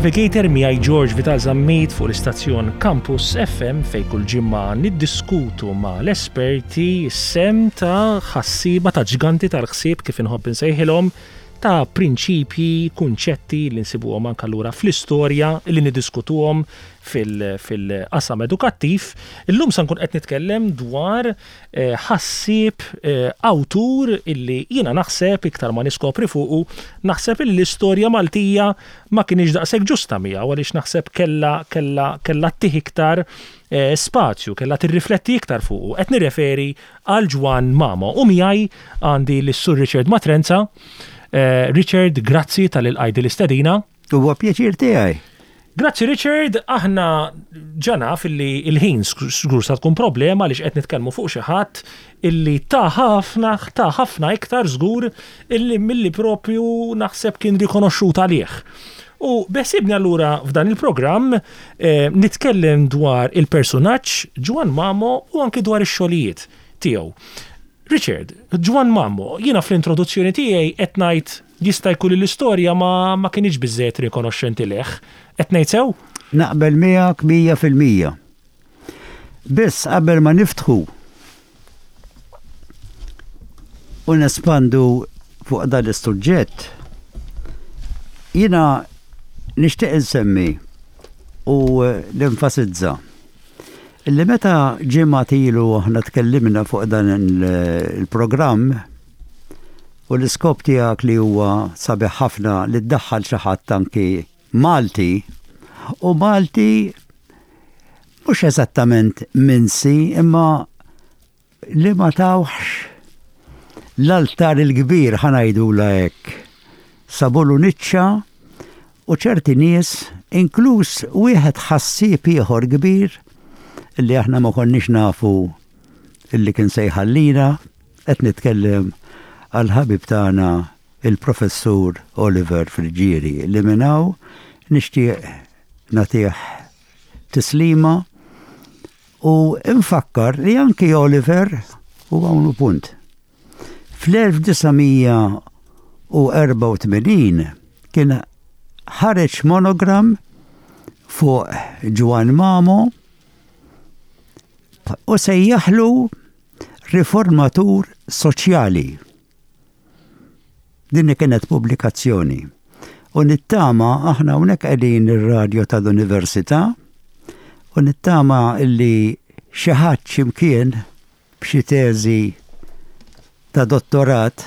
Navigator miegħi George Vital Zammit fuq l-istazzjon Campus FM fejn kull ġimgħa niddiskutu ma' l-esperti sem ta' ħassiba ta' ġganti tal-ħsieb kif inħobb insejħilhom ta' prinċipji, kunċetti li nsibuhom anke lura fl-istorja li niddiskutuhom fil-qasam edukattiv. Illum sa nkun qed nitkellem dwar ħassieb, awtur illi jiena naħseb, iktar ma niskopri fuqu, naħseb illi l-istorja Maltija ma kinitx daqshekk ġusta miegħu għaliex naħseb kellha kellha kellha ttih iktar spazju, kellha tirrifletti iktar fuqu. Qed nirreferi għal Ġwann Mamo u miegħi għandi lis-Sur Richard Matrenza. Richard, grazzi talli lqajt din l-istedina. Huwa pjaċir tiegħi. Grazzi Richard, aħna ġa naf illi l-ħin żgur sa tkun problema għaliex qed nitkellmu fuq xi ħadd illi ta ħafna, ta ħafna iktar żgur illi milli propju naħseb kien rikonoxxut għalih. U beħsiebni allura f'dan il-programm eh, nitkellem dwar il-persunaġġ Ġwann Mamo u anki dwar ix-xogħlijiet tiegħu. Richard, Ġwann Mamo, jiena fl-introduzzjoni tiegħi qed ngħid Jista' jkun li l-istorja ma ma kinitx biżżejjed rikonoxxenti lejh. Qed ngħid sew? Naqbel miegħek 100%. Biss qabel ma niftħu u nespandu fuq dan is-suġġett, jiena nixtieq insemmi u nenfasizza illi meta ġimgħat ilu aħna tkellimna fuq dan il-programm, U l-iskop tiegħek li huwa sabiħ ħafna li ddaħħal xi ħadd anki Malti, u Malti mhux eżattament minsi imma li ma tawhx l-altar il-kbir ħa ngħidulha hekk. Sabulu niċċa u ċerti nies, inkluż wieħed ħassieb ieħor kbir li aħna ma konniex nafu illi kien se jħallina, qed nitkellem għall-ħabib tagħna il-Professur Oliver Friggieri li minn hawn nixtieq nagħtih tislima u nfakkar li anki Oliver u hawn hu punt. Fl-1984 kien ħareġ monogram fuq Ġwann Mamo u sejjaħlu riformatur soċjali. Din kienet pubblikazzjoni. U nittama aħna hawnhekk qegħdin ir-radju tal-Università u nittama illi xi ħadd x'imkien b'xi teżi ta' dottorat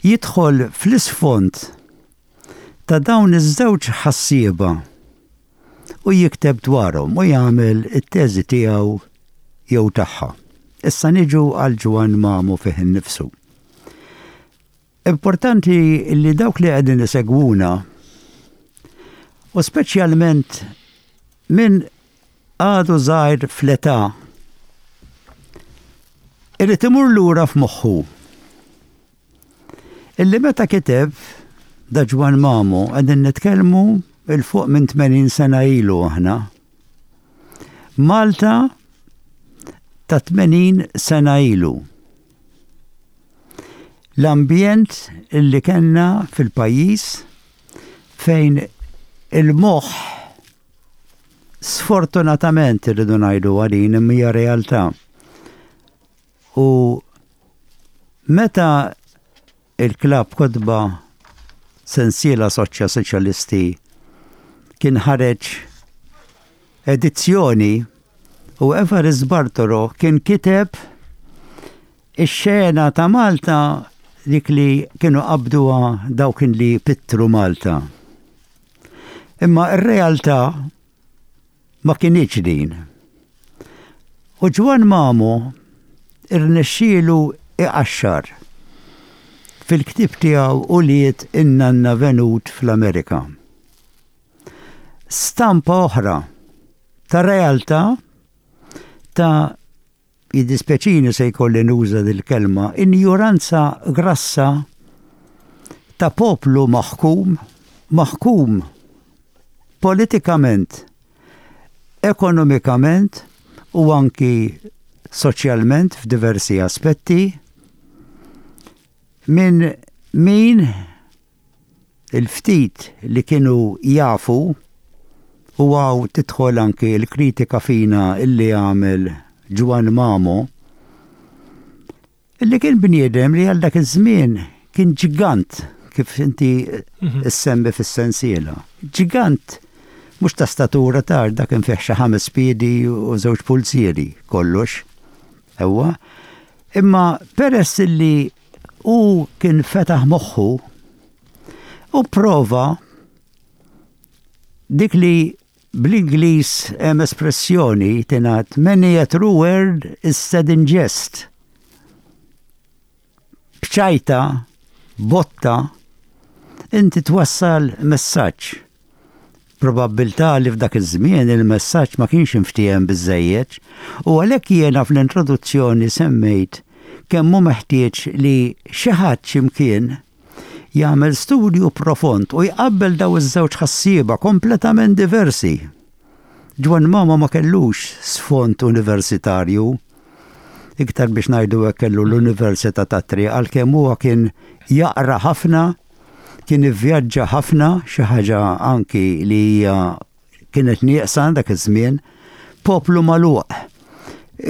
jidħol fl-isfond ta' dawn iż-żewġ ħassieba u jikteb dwarhom u jagħmel it-teżi tiegħu jew tagħha. Issa niġu għal Ġwann Mamo fih innifsu. Importanti li dawk li qegħdin isegwuna u speċjalment min għadu żgħir fl-età irid imur lura f'moħħu Illi meta kiteb da Ġwann Mamo qegħdin nitkellmu 'il fuq minn 80 sena ilu aħna. Malta ta' 80 sena ilu. L-ambjent illi kellna fil-pajjiż fejn il-moħħ sfortunatament irridu ngħidu għalin imma hija realtà. U meta il-klabb kotba sensiela soċja soċjalisti kien ħareġ edizzjoni u Evarist Bartolo kien kiteb ix-xena ta' Malta dik li kienu qabduha dawk li pittru Malta. Imma r-realtà ma kinitx din. U Ġwann Mamo rnexxielu iqaxxar fil-ktieb tiegħu Ulied in-Nanna Venut fl-Amerika. Stampa oħra ta' realtà ta' jiddispjaċini se jkolli nuża dil-kelma, injuranza grassa ta' poplu maħkum, maħkum politikament, ekonomikament u anki soċjalment f'diversi aspetti minn min Il-ftit li kienu jafu, u hawn tidħol anki l-kritika fina illi għamel Ġwann Mamo, illi kien bniedem li għal dak iż-żmien kien ġigant kif inti mhm. issemmi fis-sensiela. Ġigant mhux ta' statura ta' dak kien fih xi ħames piedi u żewġ pulzieri kollox. Ewwa. Imma peress illi hu kien fetaħ moħħu u prova dik li bl-Ingliż hemm espressjoni tingħad many a true word is said in jest. B'ċajta, botta, inti twassal messaġġ. Probabbiltà li f'dak iż-żmien il-messaġġ ma kienx inftiehem biżżejjed u għalhekk jiena fl-introduzzjoni semmejt kemm hu meħtieġ li xi ħadd xi mkien jagħmel studju profond u jqabbel dawn iż-żewġ ħassieba kompletament diversi. Ġwann Mamo ma kellux sfond universitarju, iktar biex ngħidu hekk kellu l-Università tat-Triq għalkemm huwa kien jaqra ħafna Kien ivvjaġġa ħafna, xi ħaġa anki li hija kienet nieqsa dak iż-żmien, poplu magħluq.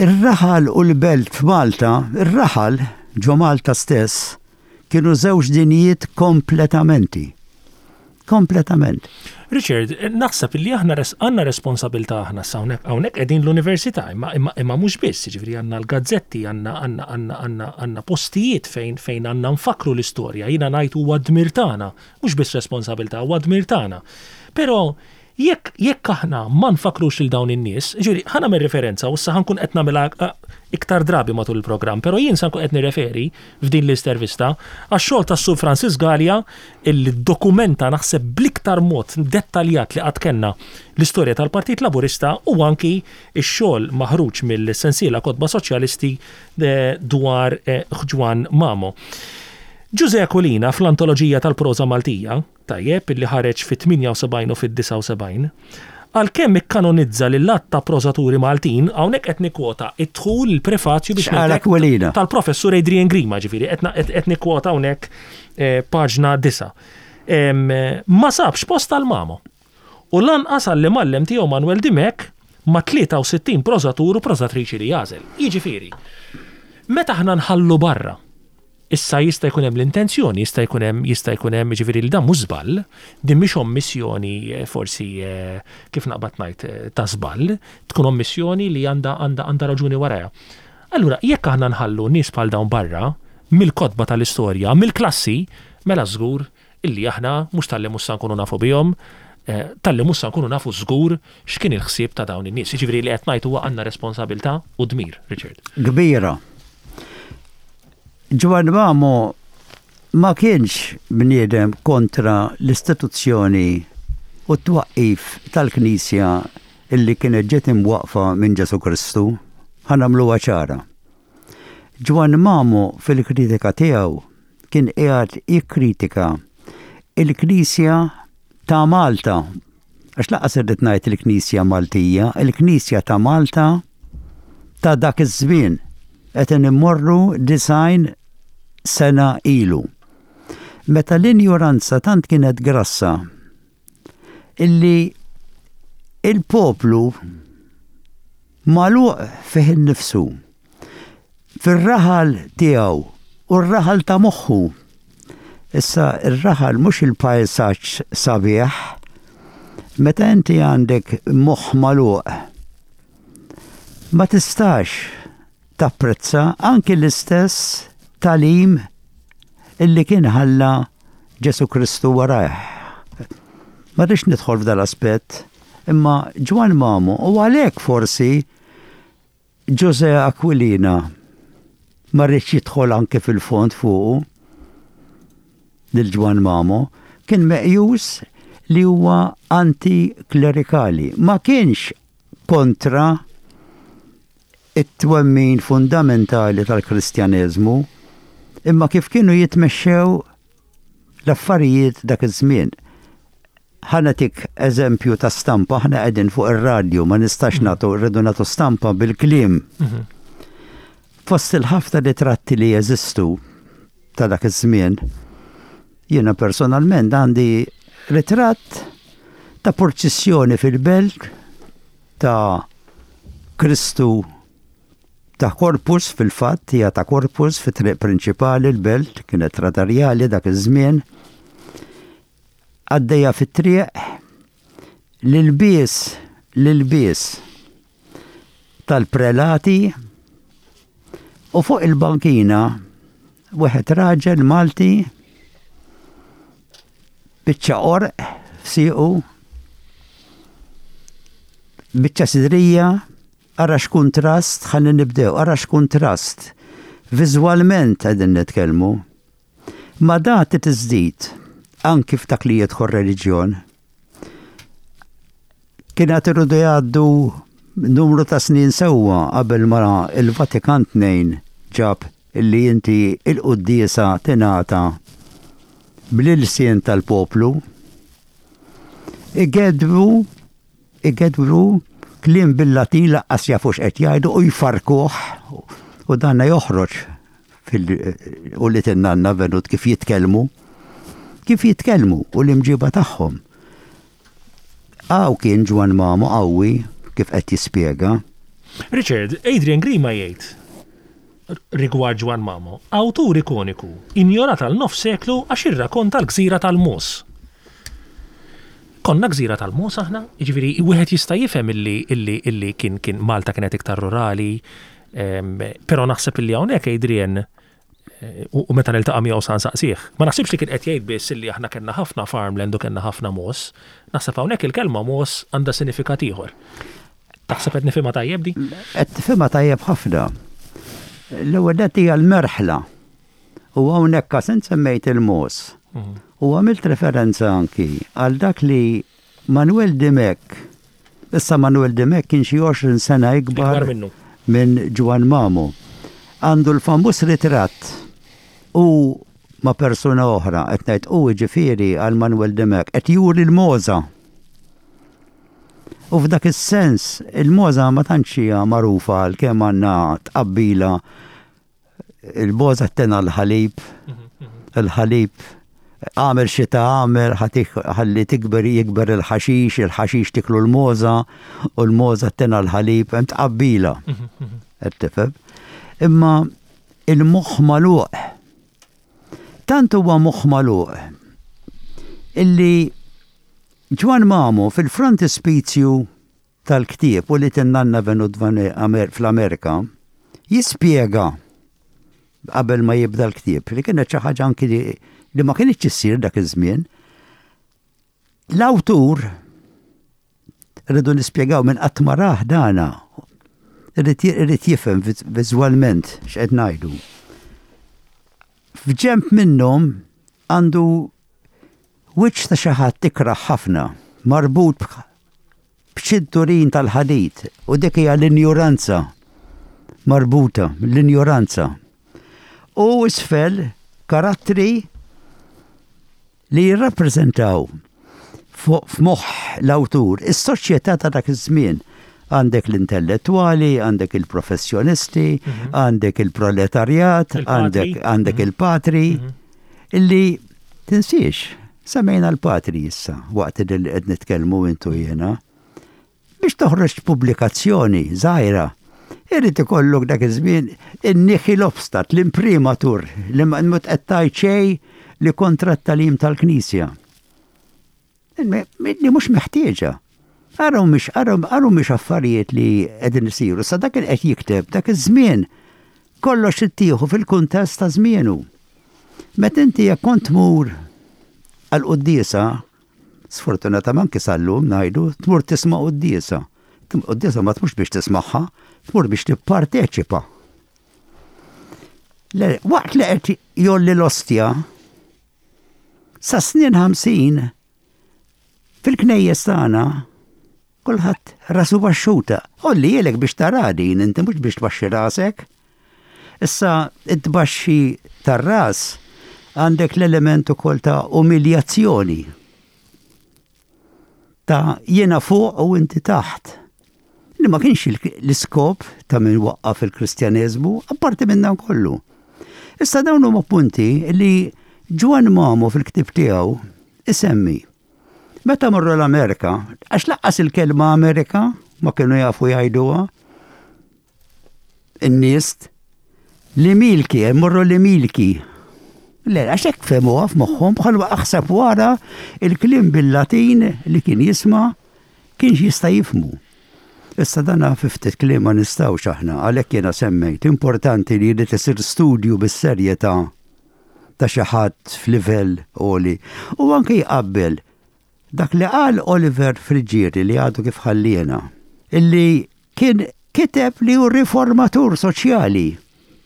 Ir-raħal u l-belt f'Malta, ir-raħal ġo Malta stess, kienu żewġ dinjiet kompletamenti. Kompletament. Richard, naħseb li aħna għandna responsabilità aħna sa hawnhekk hawnhekk qegħdin l-università, imma imma imma mhux biss, jiġifieri għandna l-gazzetti, għandna għandna għandna għandna għandna postijiet fejn fejn għandna nfakkru l-istorja. Jiena ngħid huwa dmir tagħna, mhux biss responsabilità, huwa dmir tagħna. Però jekk jekk aħna ma nfakkrux lil dawn in-nies, jiġifieri ħa nagħmel riferenza u issa ħa nkun qed nagħmilha iktar drabi matul il-programm, però jien sa nkun qed nirreferi f'din l-istervista għax-xogħol tas-Sur Francis Galea illi ddokumenta naħseb bl-iktar mod dettaljat li qatt kellna l-istorja tal-Partit Laburista u anki x-xogħol maħruġ mill-sensiela Kotba Soċjalisti dwar Ġwann Mamo. Ġużè Aquilina fl-Antoloġija tal-Proża Maltija, tajjeb, illi ħareġ fit-78 u fid-79, għalkemm ikkanonizza lil għadd ta' prożaturi Maltin, hawnhekk qed nikkwota d-dħul, il-prefazju biex X'qal Aquilina? tal-Professur Adrian Grima, ġifieri qed nikkwota hawnhekk paġna 9. Ma sabx post għal Mamo. U lanqas għall-imgħallem tiegħu Manuel Dimech ma' 63 prożatur u prożatriċi li għażel. Jiġifieri, meta aħna nħallu barra, issa jista' jkun hemm l-intenzjoni, jista' jkun hemm, jista' jkun hemm, jiġifieri li dan mhux żball, din mhix ommissjoni forsi kif naqbad ngħid ta' żball, tkun ommissjoni li għandha għandha għandha raġuni warajha. Allura, jekk aħna nħallu nies bħal dawn barra mill-kotba tal-istorja, mill-klassi, mela żgur illi aħna mhux talli mhux sa nkunu nafu bihom, talli mhux sa nkunu nafu żgur x'kien il-ħsieb ta' dawn in-nies. Jiġifieri li qed ngħid huwa għandna responsabilità u dmir, Richard. Kbira. Ġwann Mamo ma kienx bniedem kontra l-istituzzjoni u t-twaqqif tal-Knisja illi kienet ġiet imwaqqfa minn Ġesù Kristu. Ħa nagħmluha ċara. Ġwann Mamo fil-kritika tiegħu kien qiegħed jikkritika l-Knisja ta' Malta, għax lanqas irrid ngħid il-Knisja Maltija, il-Knisja ta' Malta ta' dak iż-żmien. Qed immorru 90 sena ilu. Meta l-injoranza tant kienet grassa illi il-poplu magħluq fih innifsu, fir-raħal tiegħu u r-raħal ta' moħħu. Issa r-raħal mhux il-pajsaġġ sabiħ, meta inti għandek moħħ magħluq ma tistax tapprezza anki l-istess tagħlim illi kien ħalla Ġesù Kristu warajh. Ma rridx nidħol f'dal-aspett, imma Ġwann Mamo u għalhekk forsi Ġużè Aquilina ma rridx jidħol anke fil-fond fuqu lil Ġwann Mamo, kien meqjus li huwa anti-klerikali. Ma kienx kontra it-twemmin fundamentali tal-Kristjaneżmu, imma kif kienu jitmexxew l-affarijiet dak iż-żmien. Ħa nagħtik eżempju ta' stampa, aħna qegħdin fuq ir-radju, ma nistax mhm. nagħtu, rridu nagħtu stampa bil-kliem. Mhm. Fost il-ħafna ritratti li jeżistu ta' dak iż-żmien, Jiena personalment għandi ritratt ta' purċissjoni fil-belt ta' Kristu ta' Corpus fil-fatt hija ta' Corpus fit-triq prinċipali l-belt kienet radarjali dak iż-żmien għaddejja fit-triq l-ilbies l-ilbies tal-prelati u fuq il-bankina wieħed raġel Malti biċċa qorq f'siequ, biċċa sidrija, ara x'kuntrast, ħalli nibdew, ara x'kuntrast. Viżwalment qegħdin nitkellmu. Ma dati tiżdid anki f'dak li jidħol reliġjon. Kien għad irridu jgħaddu numru ta' snin sewwa qabel ma il-Vatikan 2 ġab illi inti il-quddiesa tingħata bl-ilsien tal-poplu. Igedbu Igedwru kliem bil-Latin laqqas jafu x'qed jgħidu u jfarrkuh u danna joħroġ fil-ulied in-nanna venut kif jitkellmu, kif jitkellmu u l-imġiba tagħhom. Hawn kien Ġwann Mamo qawwi kif qed jispjega. Richard, Adrian Grima jgħid rigward Ġwann Mamo, awtur ikoniku, injorat għal nofs seklu għax irrakonta l-gżira tal-mogħoż. Konna gżira tal-mogħoż aħna? Jiġifieri wieħed jista' jifhem illi illi illi kien kien Malta kienet iktar rurali, però naħseb illi hawnhekk Adrian u meta niltaqa' miegħu sa nsaqsih. Ma naħsibx li kien qed jgħid biss illi aħna kellna ħafna farmland u kellna ħafna mogħoż. Naħseb hawnhekk il-kelma mogħoż għandha sinifikat ieħor. Taħseb qed nifhimha tajjeb di? Qed tifhimha tajjeb ħafna. L-ewwel nett hija l-merħla. U hawnhekk għax int semmejt il-mogħoż. U għamilt referenza anki għal dak li Manuel Dimech, issa Manuel Dimech kien xi 20 sena ikbar minn Ġwann Mamo. Għandu l-famuż ritratt u ma' persuna oħra, qed ngħid u jiġifieri għal Manuel Dimech, qed juri l-mogħża. U f'dak is-sens, il-mogħża ma tantx hija magħrufa għalkemm għandna tqabbila il-mogħża tena l-ħalib, il-ħalib għamel xita għamel ħalli tikber jikber il-ħaxix, il-ħaxix tiklu l-mogħża u l-mogħża tena l-ħalib, hemm tqabbila. Qed tifhem? Imma il-moħħ magħluq. Tant huwa moħħ magħluq illi Ġwann Mamo fil-frontispizju tal-ktieb Ulied in-Nanna Venut fl-Amerika jispjega qabel ma jibda l-ktieb li kienet xi ħaġa anki li ma kinitx issir dak iż-żmien. L-awtur rridu nispjegaw minn qatt ma rah dana irid jifhem viżwalment x'qed ngħidu. F'ġenb minnhom għandu Wiċċ ta' xi ħadd ikrah ħafna, marbut b'ċinturin tal-ħadid, u dik hija l-injuranza marbuta, l-injuranza. U isfel karattri li jirrappreżentaw f'moħħ l-awtur is-soċjetà ta' dak iż-żmien. Għandek l-intellettwali, għandek il-professjonisti, mhm. għandek il-proletarjat, għandek mhm. il-patri, mhm. illi tinsiex, semmejna l-patri issa waqt li qed nitkellmu intu jiena. Biex toħroġ pubblikazzjoni żgħira, irid ikollok dak iż-żmien in-nihil obstat, l-imprimatur li ma qed tgħid xejn li kontra t-tagħlim tal-Knisja. Li mhux meħtieġa. Araw mhix araw mhix affarijiet li qegħdin isiru. Sa dak qed jikteb dak iż-żmien kollox ittieħu fil-kuntest ta' żmienu. Meta inti jekk kont tmur għal quddiesa, sfortunatament anke sal-lum ngħidu, tmur tisma' quddiesa. Quddiesa ma tmurx biex tismagħha, tmur biex tipparteċipa. Waqt li qed jolli l-ostja, Sa snin 50 fil-knejjes tagħna kulħadd rasu baxxuta. Olli jielek biex tara din inti mhux biex tbaxxi rasek. Issa it-tbaxxi tar-ras għandek l-element ukoll ta' umiljazzjoni. Ta' jiena fuq u inti taħt. Li ma kienx l-iskop ta' min waqqaf il-Kristjaneżmu, apparti minn dan kollu. Issa dawn huma punti li Ġwann Mamo fil-ktieb tiegħu isemmi meta marru l-Amerika, għax laqqas il-kelma Amerika ma kienu jafu jgħiduha in-nies li milki, morru li milki. Le, għax hekk fehmuha f'moħħhom bħal aħseb wara il-kliem bil-Latin li kien jisma' kienx jista' jifhmu. Issa dana fi ftit kliem ma nistgħux aħna, għalhekk jiena semmejt, importanti li jrid isir studju bis-serjetà ta' xi ħadd f'livell għoli u anke jqabbel dak li qal Oliver Friggieri li għadu kif ħalliena, illi kien kiteb li hu riformatur soċjali.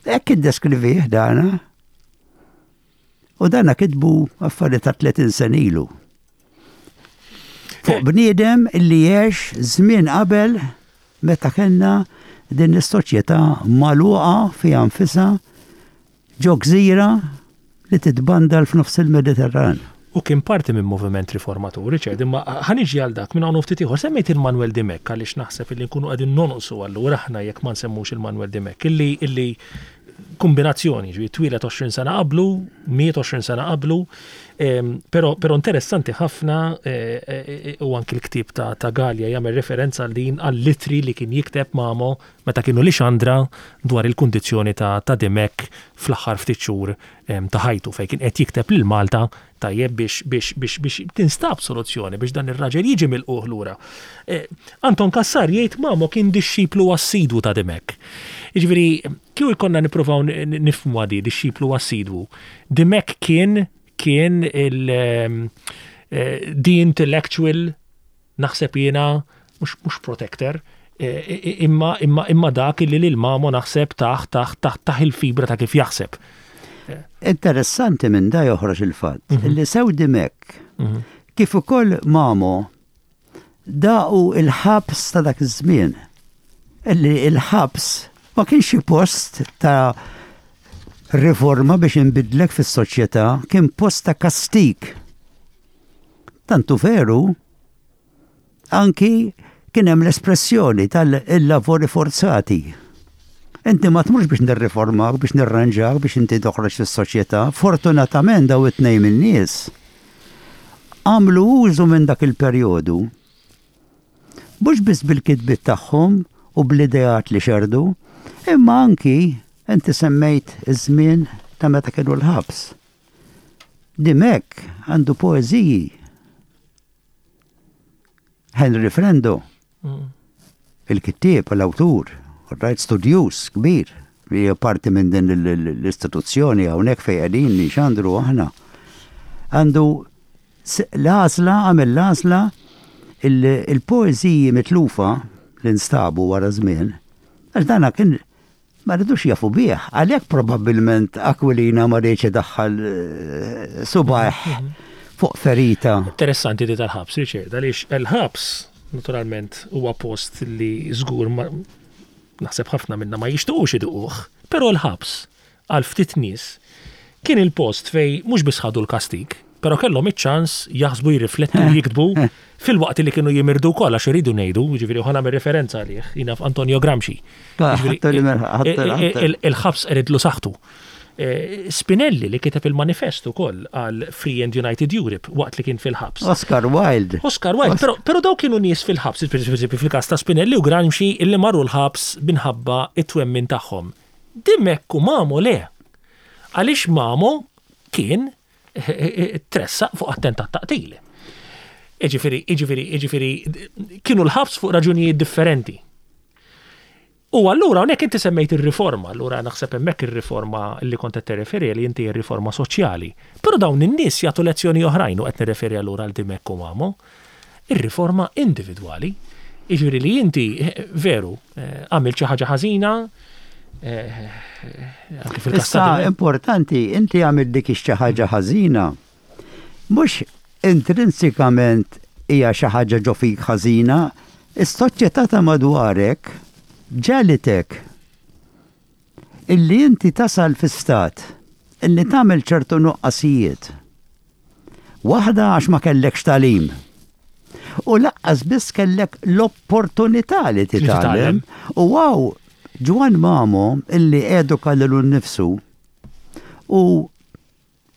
Hekk iddeskrivih dana. U dana kitbu affarijiet ta' 30 sena ilu. Fuq bniedem li għex żmien qabel meta kellna din is-soċjetà magħluqa fiha nfisha ġo gżira li titbandal f'nofs il-Mediterran. U kien parti minn moviment riformatur, Richard, imma ħa niġi għal dak minn hawn u ftit ieħor. Semmejt il-Manuel Dimech għaliex naħseb illi nkunu qegħdin nonqsu allura aħna jekk ma nsemmux il-Manuel Dimech illi illi kombinazzjoni, ġifieri twieled 20 sena qablu, miet 20 sena qablu, però però interessanti ħafna eh, eh, u anki l-ktieb ta', ta Gallia jagħmel referenza għal din għall-litri li kien jikteb Mamo meta kienu Lixandra dwar il-kundizzjoni ta', ta Dimech fl-aħħar ftit xhur ta' ħajtu fejn kien qed jikteb lil Malta tajjeb biex biex biex biex tinstab soluzzjoni biex dan ir-raġel jiġi milqugħ lura. Eh, Anton Cassar jgħid Mamo kien dixxiplu assidwu ta' Dimech. Jiġifieri kieku jkollna nippruvaw nifhmuha di dixxiplu assidwu. Dimech kien kien il eh, the intellectual naħseb jiena mhux mhux protector, imma imma imma dak illi lil Mamo naħseb tah tah tah tah il-fibra ta' kif jaħseb. Interessanti minn da joħroġ il-fatt mhm. li sew Dimech mhm. kif ukoll Mamo daqu il-ħabs ta' dak iż-żmien. Illi il-ħabs ma kienx xi post ta' riforma biex inbidlek fis-soċjetà, kien post ta' kastig. Tant hu veru, anki kien hemm l-espressjoni tal-lavori forzati. Inti ma tmurx biex nirriformak, biex nirranġak, biex inti toħroġ fis-soċjetà. Fortunatament daw it-tnejn min-nies għamlu użu minn dak il-perjodu mhux biss bil-kitbiet tagħhom u bl-ideat li xerrdu, imma anki inti semmejt iż-żmien ta' meta kienu l-ħabs. Dimech għandu poeżiji. Henry Frendo, mm. il-kittieb, l-awtur, rajt studjuż kbir, li parti minn din l-istituzzjoni hawnhekk fejn qegħdin nixandru aħna. Għandu l-għażla, għamel l-għażla il-poeżiji mitlufa li nstabu wara żmien, għax dana kien Ma ridux jafu bih, għalhekk probabbilment Aquilina ma riedx idaħħal eh, subajh fuq ferita. Interessanti di tal-ħabs, Richard, għaliex il-ħabs naturalment huwa post li żgur naħseb ħafna minna ma jixtuqux iduquh, però l-ħabs għal ftit nies kien il-post fej mhux biss ħadu l-kastig, però kellhom iċ-ċans jaħsbu jirriflettu u jiktbu filwaqt li kienu jimirdu wkoll għax iridu ngħidu, jiġifieri u ħa nagħmel referenza għalih, jiena f'Antonio Gramsci. Il-ħabs qeridlu saħħtu. Eh, Spinelli li kiteb il-manifest ukoll għal Free and United Europe waqt li kien fil-ħabs. Oscar Wilde. Oscar Wilde, però, però daw kienu nies fil-ħabs, per fil-każ ta' Spinelli u Gramsci illi marru l-ħabs minħabba it-twemmin tagħhom. Dimech u Mamo le. Għaliex Mamo kien tressaq fuq attentat ta' qtil. Iġifieri, iġifieri, iġifieri, kienu l-ħabs fuq raġunijiet differenti. U allura hawnhekk inti semmejt ir-riforma, allura naħseb hemmhekk ir-riforma li kont qed tirreferi li inti ir-riforma soċjali. Però dawn in-nies jagħtu lezzjoni oħrajn u qed nirreferi allura għal Dimech u Mamo. Ir-riforma individwali. Jiġifieri li inti veru eh, għamilt xi ħaġa ħażina, eh, anke fil-każ Issa importanti, inti għamilt dik xi ħaġa ħażina, mhux intrinsikament hija xi ħaġa ġo fik ħażina, is-soċjetà ta' madwarek ġegħlitek illi inti tasal fi stat illi tagħmel ċertu nuqqasijiet. Waħda għax ma kellekx tagħlim. U laqqas biss kellek l-opportunità li titgħallem. U għaw Ġwan Mamo illi eduka lilu nnifsu u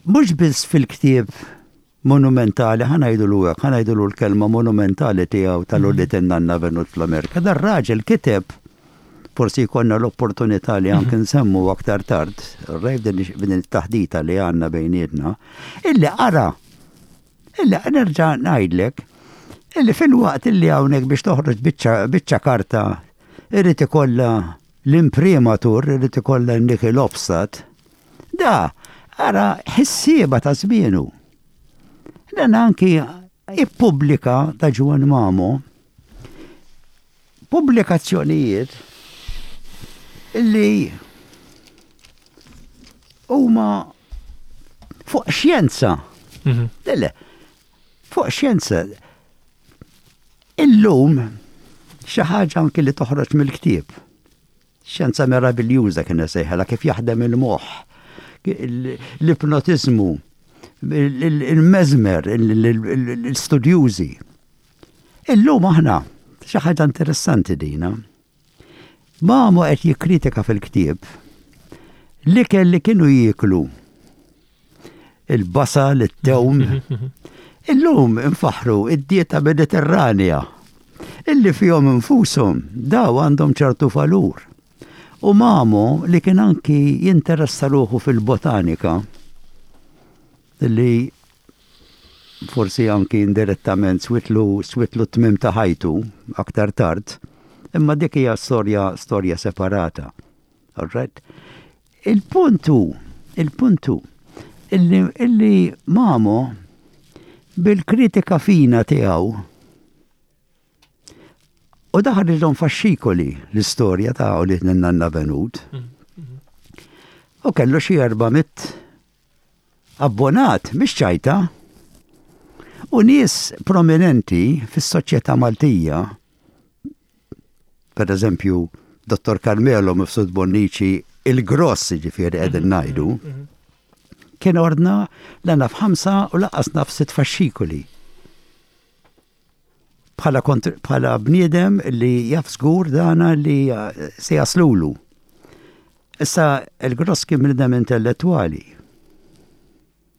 Mhux biss fil-ktieb monumentali, ħa ngħidulu hekk, ħa ngħidulu l-kelma monumentali tiegħu tal-Ulied in-Nanna Venut fl-Amerika. Dar-raġel kiteb, forsi jkollna l-opportunità li anke nsemmu aktar tard, rajt din it-taħdita li għandna bejnietna, illi qara, illi nerġa' ngħidlek, illi filwaqt illi hawnhekk biex toħroġ biċċa karta irid ikollha l-imprimatur, irid ikollha n-nickel offset, Da, ara ħissieba ta' żmienu. Dan anki ippubblika ta' Ġwann Mamo pubblikazzjonijiet li huma fuq xjenza. Mhm. Le, fuq xjenza. Illum xi ħaġa anki li toħroġ mill-ktieb. Xjenza meraviljuża kien isejħilha kif jaħdem il-moħħ, l-ipnotiżmu, il-mesmer, l-istudjużi. Illum aħna, xi ħaġa interessanti dina. Mamo qed jikkritika fil-ktieb l-ikel li kienu jieklu il-basal, it-tewm. Illum infaħru id-dieta mediterranea illi fihom infushom daw għandhom ċertu valur. U Mamo li kien anki jinteressa ruħu fil-botanika li forsi anki indirettament switlu switlu t-tmiem ta' ħajtu aktar tard, imma dik hija storja storja separata. All right? Il-punt hu, il-punt hu, illi, illi Mamo bil-kritika fina tiegħu u daħal faxxikoli l-istorja ta' ulied nanna Venut. U kellu xi 400 abbonat, mhix ċajta. U nies prominenti fis-soċjetà Maltija Per eżempju, Dottor Carmelo Mifsud Bonnici, il-gross ġifieri qegħdin mhm, ngħidu, mhm, mhm. kien ordna la naf ħamsa u laqqas naf sitt faxxikoli. Bħala, bħala bniedem li jaf żgur dana li eh, se jaslulu. Issa il-gross kien bniedem intellettwali.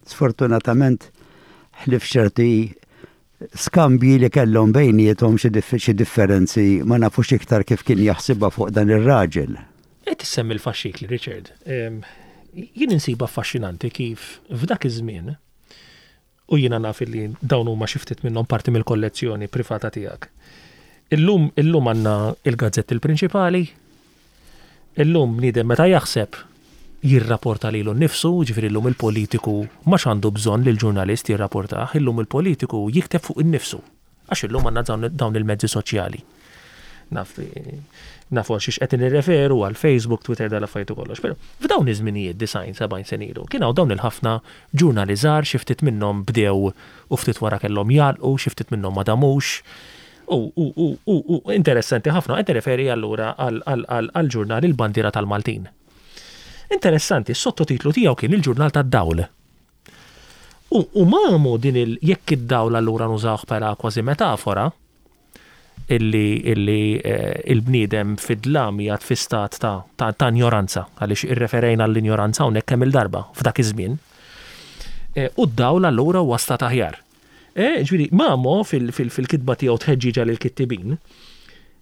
Sfortunatament, ħlief ċerti skambji li kellhom bejniethom xi differenzi ma nafux iktar kif kien jaħsibha fuq dan ir-raġel. Qed issemmi l-faxxikli, Richard. Jien insibha affaxxinanti kif f'dak iż-żmien, u jiena naf illi dawn huma xi ftit minnhom parti mill-kollezzjoni privata tiegħek. Illum illum għandna il-gazzetti l-prinċipali, Illum bniedem meta jaħseb jirrapporta lilu nnifsu, jiġifieri llum il-politiku m'għadx għandu bżonn li l-ġurnalist jirrapportah, illum il-politiku jikteb fuq innifsu għax illum għandna dawn il-mezzi soċjali. Naf nafu għal xiex qed nirreferu għal Facebook, Twitter, dal-affarijiet u kollox. Però f'dawn iż-żminijiet 90, 70 sena ilu, kien hawn dawn il-ħafna ġurnali żgħar, xi ftit minnhom bdew u ftit wara kellhom jagħlqu, xi ftit minnhom ma damux. U, u, u, u, u, interessanti ħafna, qed nirreferi allura għall-ġurnal Il-Bandiera tal-Maltin. Interessanti, s-sottotitlu tiegħu kien Il-Ġurnal tad-Dawl. U, u Mamo din il, jekk id-dawl allura nużawh bħala kważi metafora, illi, illi eh, il-bniedem fid-dlam jgħad fi stat ta', ta, ta' injoranza, għaliex irreferejna għall-injoranza hawnhekk kemm il-darba f'dak iż-żmien. Eh, u d-dawl allura huwa stat aħjar. Ġifieri, Mamo fil-kitba tiegħu Tħeġġiġa lill-Kittibin,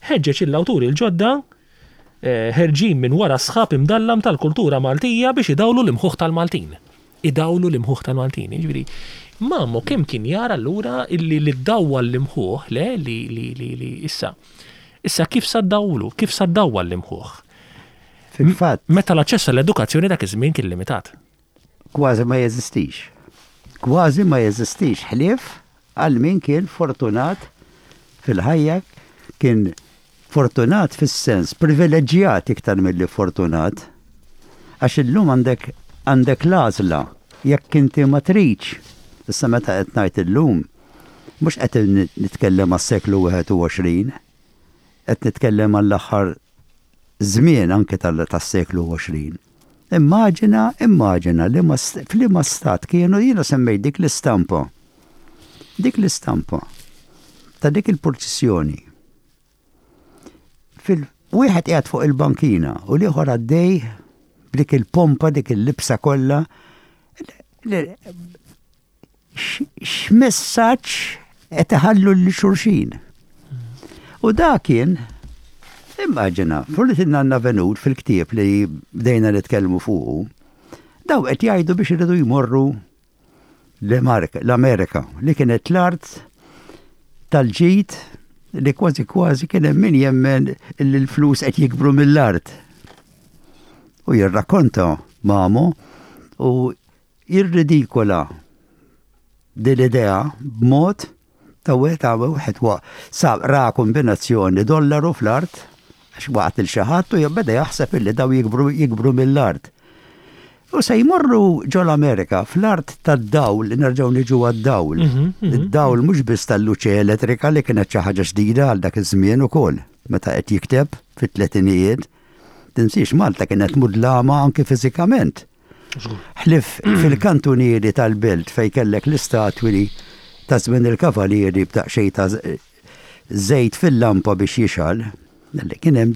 ħeġġeġ lill-awturi l-ġodda ħerġin minn wara s-sħab imdallam tal-kultura Maltija biex idawlu l-imħuħ tal-Maltin. Idawlu l-imħuħ tal-Maltin. Jiġifieri, Mamo kemm kien jara allura illi li ddawwal l-imħuħ, le, li li li li issa issa kif sa ddawlu, kif sa ddawwal l-imħuħ? Fil-fatt. Meta l-aċċess għall-edukazzjoni dak iż-żmien kien limitat. Kważi ma jeżistix. Kważi ma jeżistix ħlief għal min kien fortunat fil-ħajja, kien fortunat fis-sens privileġġjat iktar milli fortunat. Għax illum għandek għandek l-għażla jekk inti ma tridx. Issa meta qed ngħid illum, mhux qed nitkellem għas-seklu 21, qed nitkellem għall-aħħar żmien anke tas-seklu 20. Immaġina, immaġina li ma f'liema stat kienu jiena semmejt dik l-istampa. Dik l-istampa ta' dik il-purċissjoni. Fil wieħed qiegħed fuq il-bankina u l-ieħor għaddej b'dik il-pompa, dik il-libsa kollha. X'messaġġ qed iħallu lil xulxin. U da kien, immaġina, fuq in-nanna Venut fil-ktieb li bdejna nitkellmu fuqu, daw qed jgħidu biex iridu jmorru l-Amerika li kienet l-art tal-ġid li kważi kważi kien hemm min jemmen li l-flus qed jikbru mill-art. U jirrakkonta Mamo u jirridikola din l-idea b'mod ta' wieħed għamel wieħed wa sa ra kombinazzjoni dollaru fl-art għax waqgħet lil xi ħadd u beda jaħseb illi daw jikbru jikbru mill-art. U se jmorru ġol-Amerika fl-art tad-dawl, nerġgħu niġu għad-dawl. Mhm, mhm. Id-dawl mhux biss tal-luċe elettrika li kienet xi ħaġa ġdida għal dak iż-żmien ukoll meta qed jikteb fit-tletinijiet. Tinsiex Malta kienet mudlama anki fiżikament. Ħlief fil-kantunieri tal-belt fejn kellek l-istatwi ta' żmien il-kavalieri b'daqsxejn ta' żejt fil-lampa biex jixgħal, kien hemm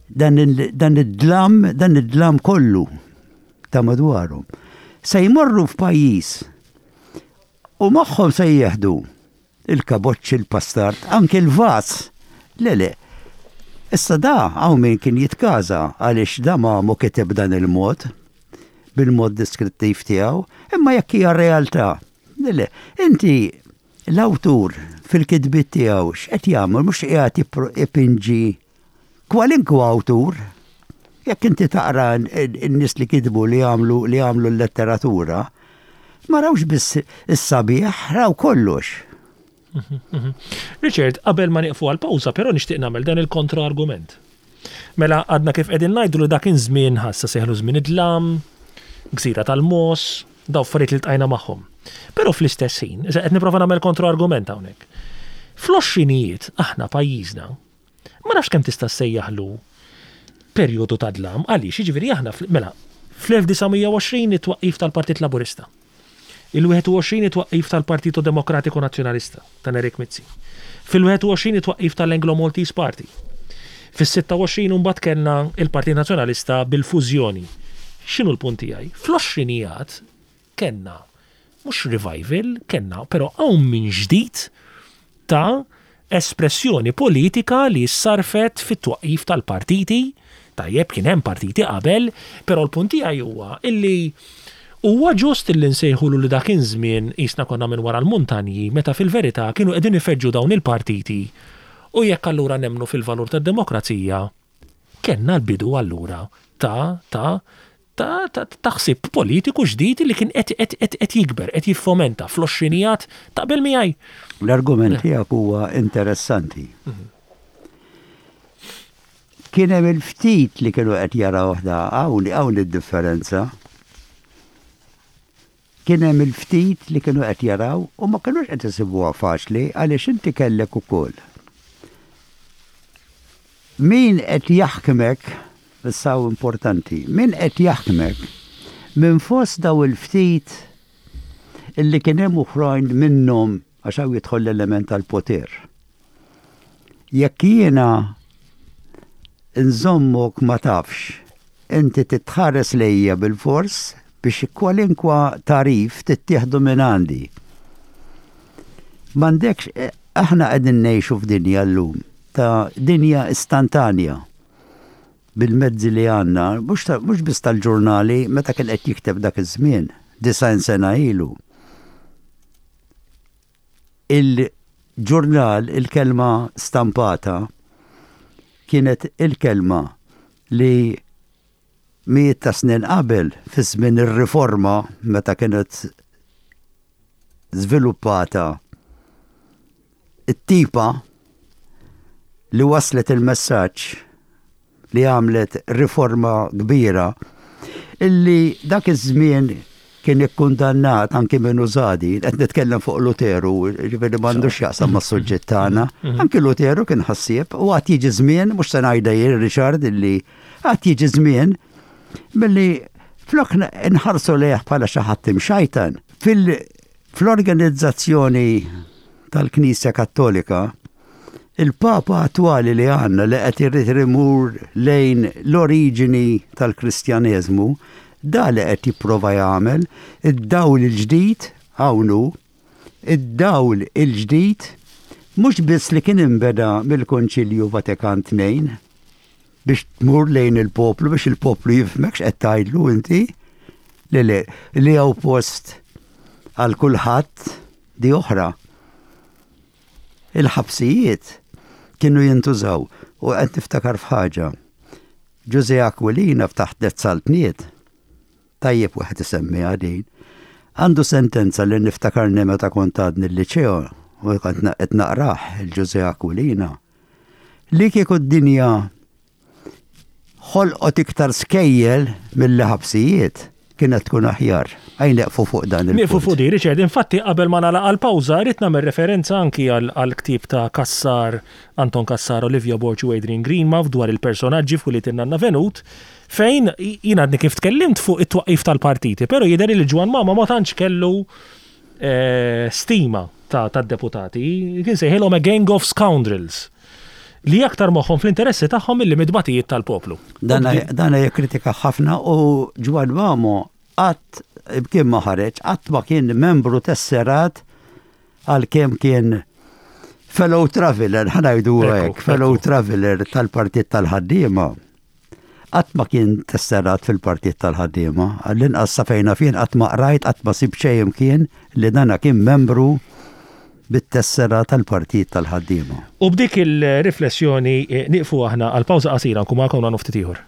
dan id-dlam, dan id-dlam kollu ta' madwarhom. Se jmorru f'pajjiż u magħhom se jieħdu Il-kaboċċi, il-pastard, anki l-vaż! Le, le. Issa da hawn min kien jitkaża għaliex da Mamo kiteb b'dan il-mod, bil-mod deskrittiv tiegħu, imma jekk hija realtà. Le, le. Inti l-awtur fil-kitbiet tiegħu x'qed jagħmel mhux qiegħed ipinġi Kwalinkwa awtur, jekk inti taqra n-nies li kitbu li għamlu li għamlu l-letteratura, ma rawx biss is-sabiħ, raw kollox. Richard, qabel ma nieqfu għal pawża, però nixtieq nagħmel dan il-kontra-argument. Mela għadna kif qegħdin ngħidu li dak żmien ħassa seħlu żmien id-dlam, gżira tal-mos, daw affarijiet li ltqajna magħhom. Però fl-istess ħin, qed nipprova nagħmel kontra-argument hawnhekk. Fl-għoxrinijiet aħna pajjiżna Ma nafx kemm tista' ssejjaħlu perjodu ta' dlam, għaliex, jiġifieri aħna, mela, fl-1920 it-twaqqif tal-Partit Laburista, il-21 it-twaqqif tal-Partito Demokratiku Nazzjonalista ta' Nerik Mizzi, fil-21 it-twaqqif tal-Anglo Maltese Party, fis-26 imbagħad kellna il-Partit Nazzjonalista bil-fużjoni. X'inhu l-punt tiegħi? Fl-għoxrinijat Kellna mhux revival, kellna però qawmien ġdid ta' espressjoni politika li ssarrfet fit-twaqqif tal-partiti, tajjeb kien hemm partiti qabel, però l-punt tiegħi huwa illi huwa ġust illi nsejħulu li dak iż-żmien qisna konna minn wara l-muntanji meta fil-verità kienu qegħdin ifeġġu dawn il-partiti u jekk allura nemmnu fil-valur tad-demokrazija Kellna l-bidu allura ta' ta' ta' ta' ta' ħsieb politiku ġdid li kien qed qed qed qed jikber, qed jiffomenta fl-għoxrinijat. Taqbel miegħi? L-argument tiegħek huwa interessanti. Kien hemm il-ftit li kienu qed jarawh da hawn hawn id-differenza. Kien hemm il-ftit li kienu qed jaraw u ma kinux qed isibuha faċli għaliex inti kellek ukoll min qed jaħkmek, issa hawn importanti, min qed jaħkmek minn fost daw il-ftit illi kien hemm oħrajn minnhom għax hawn jidħol l-element tal-poter. Jekk jiena nżommok ma tafx, inti titħares lejja bilfors biex kwalinkwa tagħrif tittieħdu minn għandi. M'għandekx, aħna qegħdin ngħixu f'dinja llum ta' dinja istantanja bil-mezzi li għandna, mhux biss tal-ġurnali meta kien qed jikteb dak iż-żmien, 90 sena ilu. Il-ġurnal, il-kelma stampata, kienet il-kelma li mijiet ta' snin qabel, fi żmien ir-Riforma, meta kienet żviluppata it-tipa li waslet il-messaġġ li għamlet riforma kbira illi dak iż-żmien kien ikkundannat anki minn Użadi, qed nitkellem fuq Luteru, ġifieri m'għandux x'jaqsam mas-suġġett tagħna. Mhm. Anki Luteru kien ħassieb u għad jiġi żmien, mhux se ngħidha jien Richard illi għad jiġi żmien milli flok nħarsu lejh bħala xi ħadd imxajtan. Fil-organizzazzjoni tal-Knisja Kattolika, Il-Papa attwali li għandna li qed irid imur lejn l-oriġini tal-Kristjaneżmu, Da li qed jipprova jagħmel id-dawl il-ġdid hawn hu, id-dawl il-ġdid mhux biss li kien inbeda mill-Konċilju Vatikan II biex tmur lejn il-poplu biex il-poplu jifhmek x'qed tgħidlu inti, li le, li hawn post għal kulħadd di oħra. Il-ħabsijiet kienu jintużaw u qed niftakar f'ħaġa. Ġużè Aquilina f'taħt Tliet Saltniet, tajjeb wieħed isemmiha din, għandu sentenza li niftakarni meta kont għadni l-liċeo u kont qed naqrah il-Ġużè Aquilina, li kieku d-dinja ħolqot iktar skejjel milli ħabsijiet, kienet tkun aħjar. Ejja nieqfu fuq dan il-punt. Nieqfu fuq din, Richard. Infatti qabel ma nagħlaq għall-pawża rrid nagħmel referenza anki għall-ktieb ta' Cassar, Anton Cassar, Olivia Borg u Adrian Greenmouth dwar il-personaġġi f'Ulied in-Nanna Venut, fejn jien għadni kif tkellimt fuq it-twaqqif tal-partiti, però jidher li Ġwann Mamo ma tantx kellu stima tad-deputati, kien sejħilhom a gang of scoundrels li aktar moħħhom fl-interessi tagħhom milli mit-tbatijiet tal-poplu. Dana jikkritika ħafna u Ġwann Mamo qatt kien ma ħareġ, qatt ma kien membru tesserat għalkemm kien fellow traveler, ħanajdu hekk, fellow traveler tal-Partit tal-Ħaddiema. Qatt ma kien tesserat fil-Partit tal-Ħaddiema, għall-inqas sa fejn naf jien qatt ma qrajt, qatt ma sibt xejn imkien li dana kien membru bit-tessera tal-Partit tal-Ħaddiema. U b'dik il-riflessjoni nieqfu aħna għal pawża qasira nkun magħkom hawn ftit ieħor.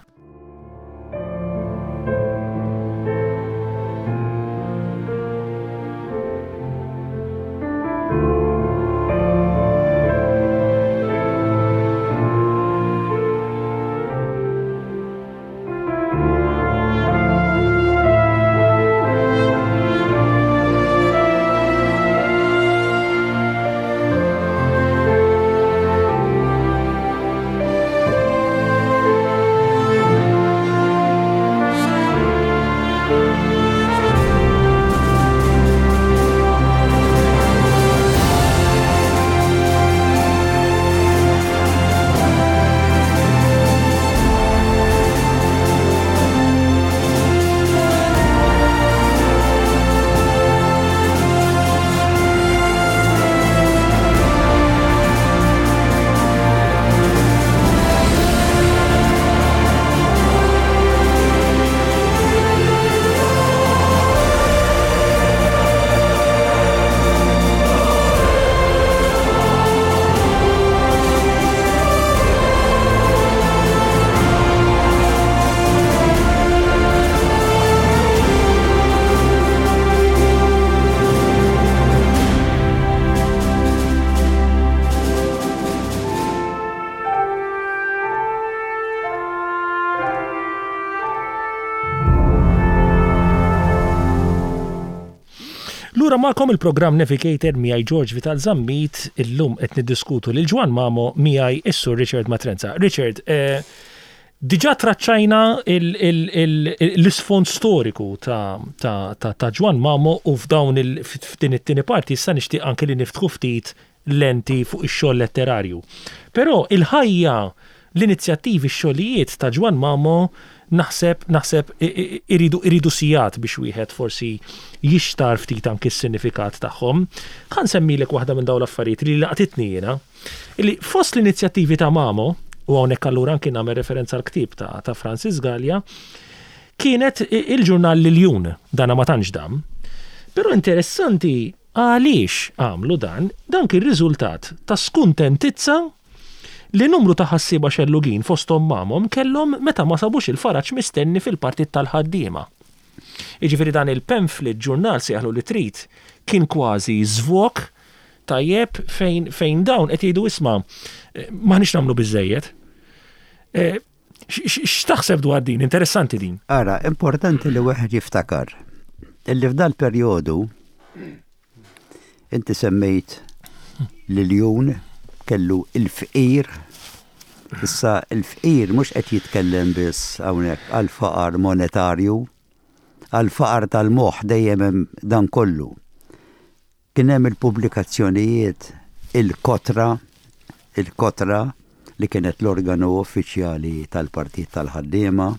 Lura magħkom il-programm Navigator miegħi George Vital Zammit, illum qed niddiskutu lil Ġwann Mamo miegħi is-Sur Richard Matrenza. Richard, eh, diġà traċċajna l-isfond storiku ta' Ġwann Mamo u f'dawn f'din it-tieni parti issa nixtieq anke li niftħu ftit lenti fuq ix-xogħol letterarju. Però il-ħajja, l-inizjattivi, x-xogħlijiet ta' Ġwann Mamo naħseb naħseb iridu iridu sigħat biex wieħed forsi jixtarr ftit anki s-sinifikat tagħhom. Ħa nsemmilek waħda minn dawn l-affarijiet li laqtitni jiena, illi fost l-inizjattivi ta' Mamo, u hawnhekk allura anki nagħmel referenza għall-ktieb ta' ta' Francis Galea, kienet il-ġurnal L-Iljun, dana ma tantx dam. Però interessanti Għaliex għamlu dan? Dan kien riżultat ta' skuntentizza li numru ta' ħassieba xellugin fosthom Mamom kellhom meta ma sabux il-faraġ mistenni fil-Partit tal-Ħaddiema. Jiġifieri dan il-pamphlet, ġurnal sejjaħlu li trid, kien kważi żvog tajjeb fejn fejn dawn qed jgħidu isma' m'aħniex nagħmlu biżżejjed. X'taħseb dwar din? Interessanti din. Ara, importanti li wieħed jiftakar illi f'dal-perjodu inti semmejt l-iljun kellu il-fqir. Issa il-fqir mhux qed jitkellem biss hawnhekk għall-faqar monetarju, għall-faqar tal-moħħ dejjem hemm dan kollu. Kien hemm il-pubblikazzjonijiet Il-Kotra, Il-Kotra li kienet l-organu uffiċjali tal-Partit tal-Ħaddiema.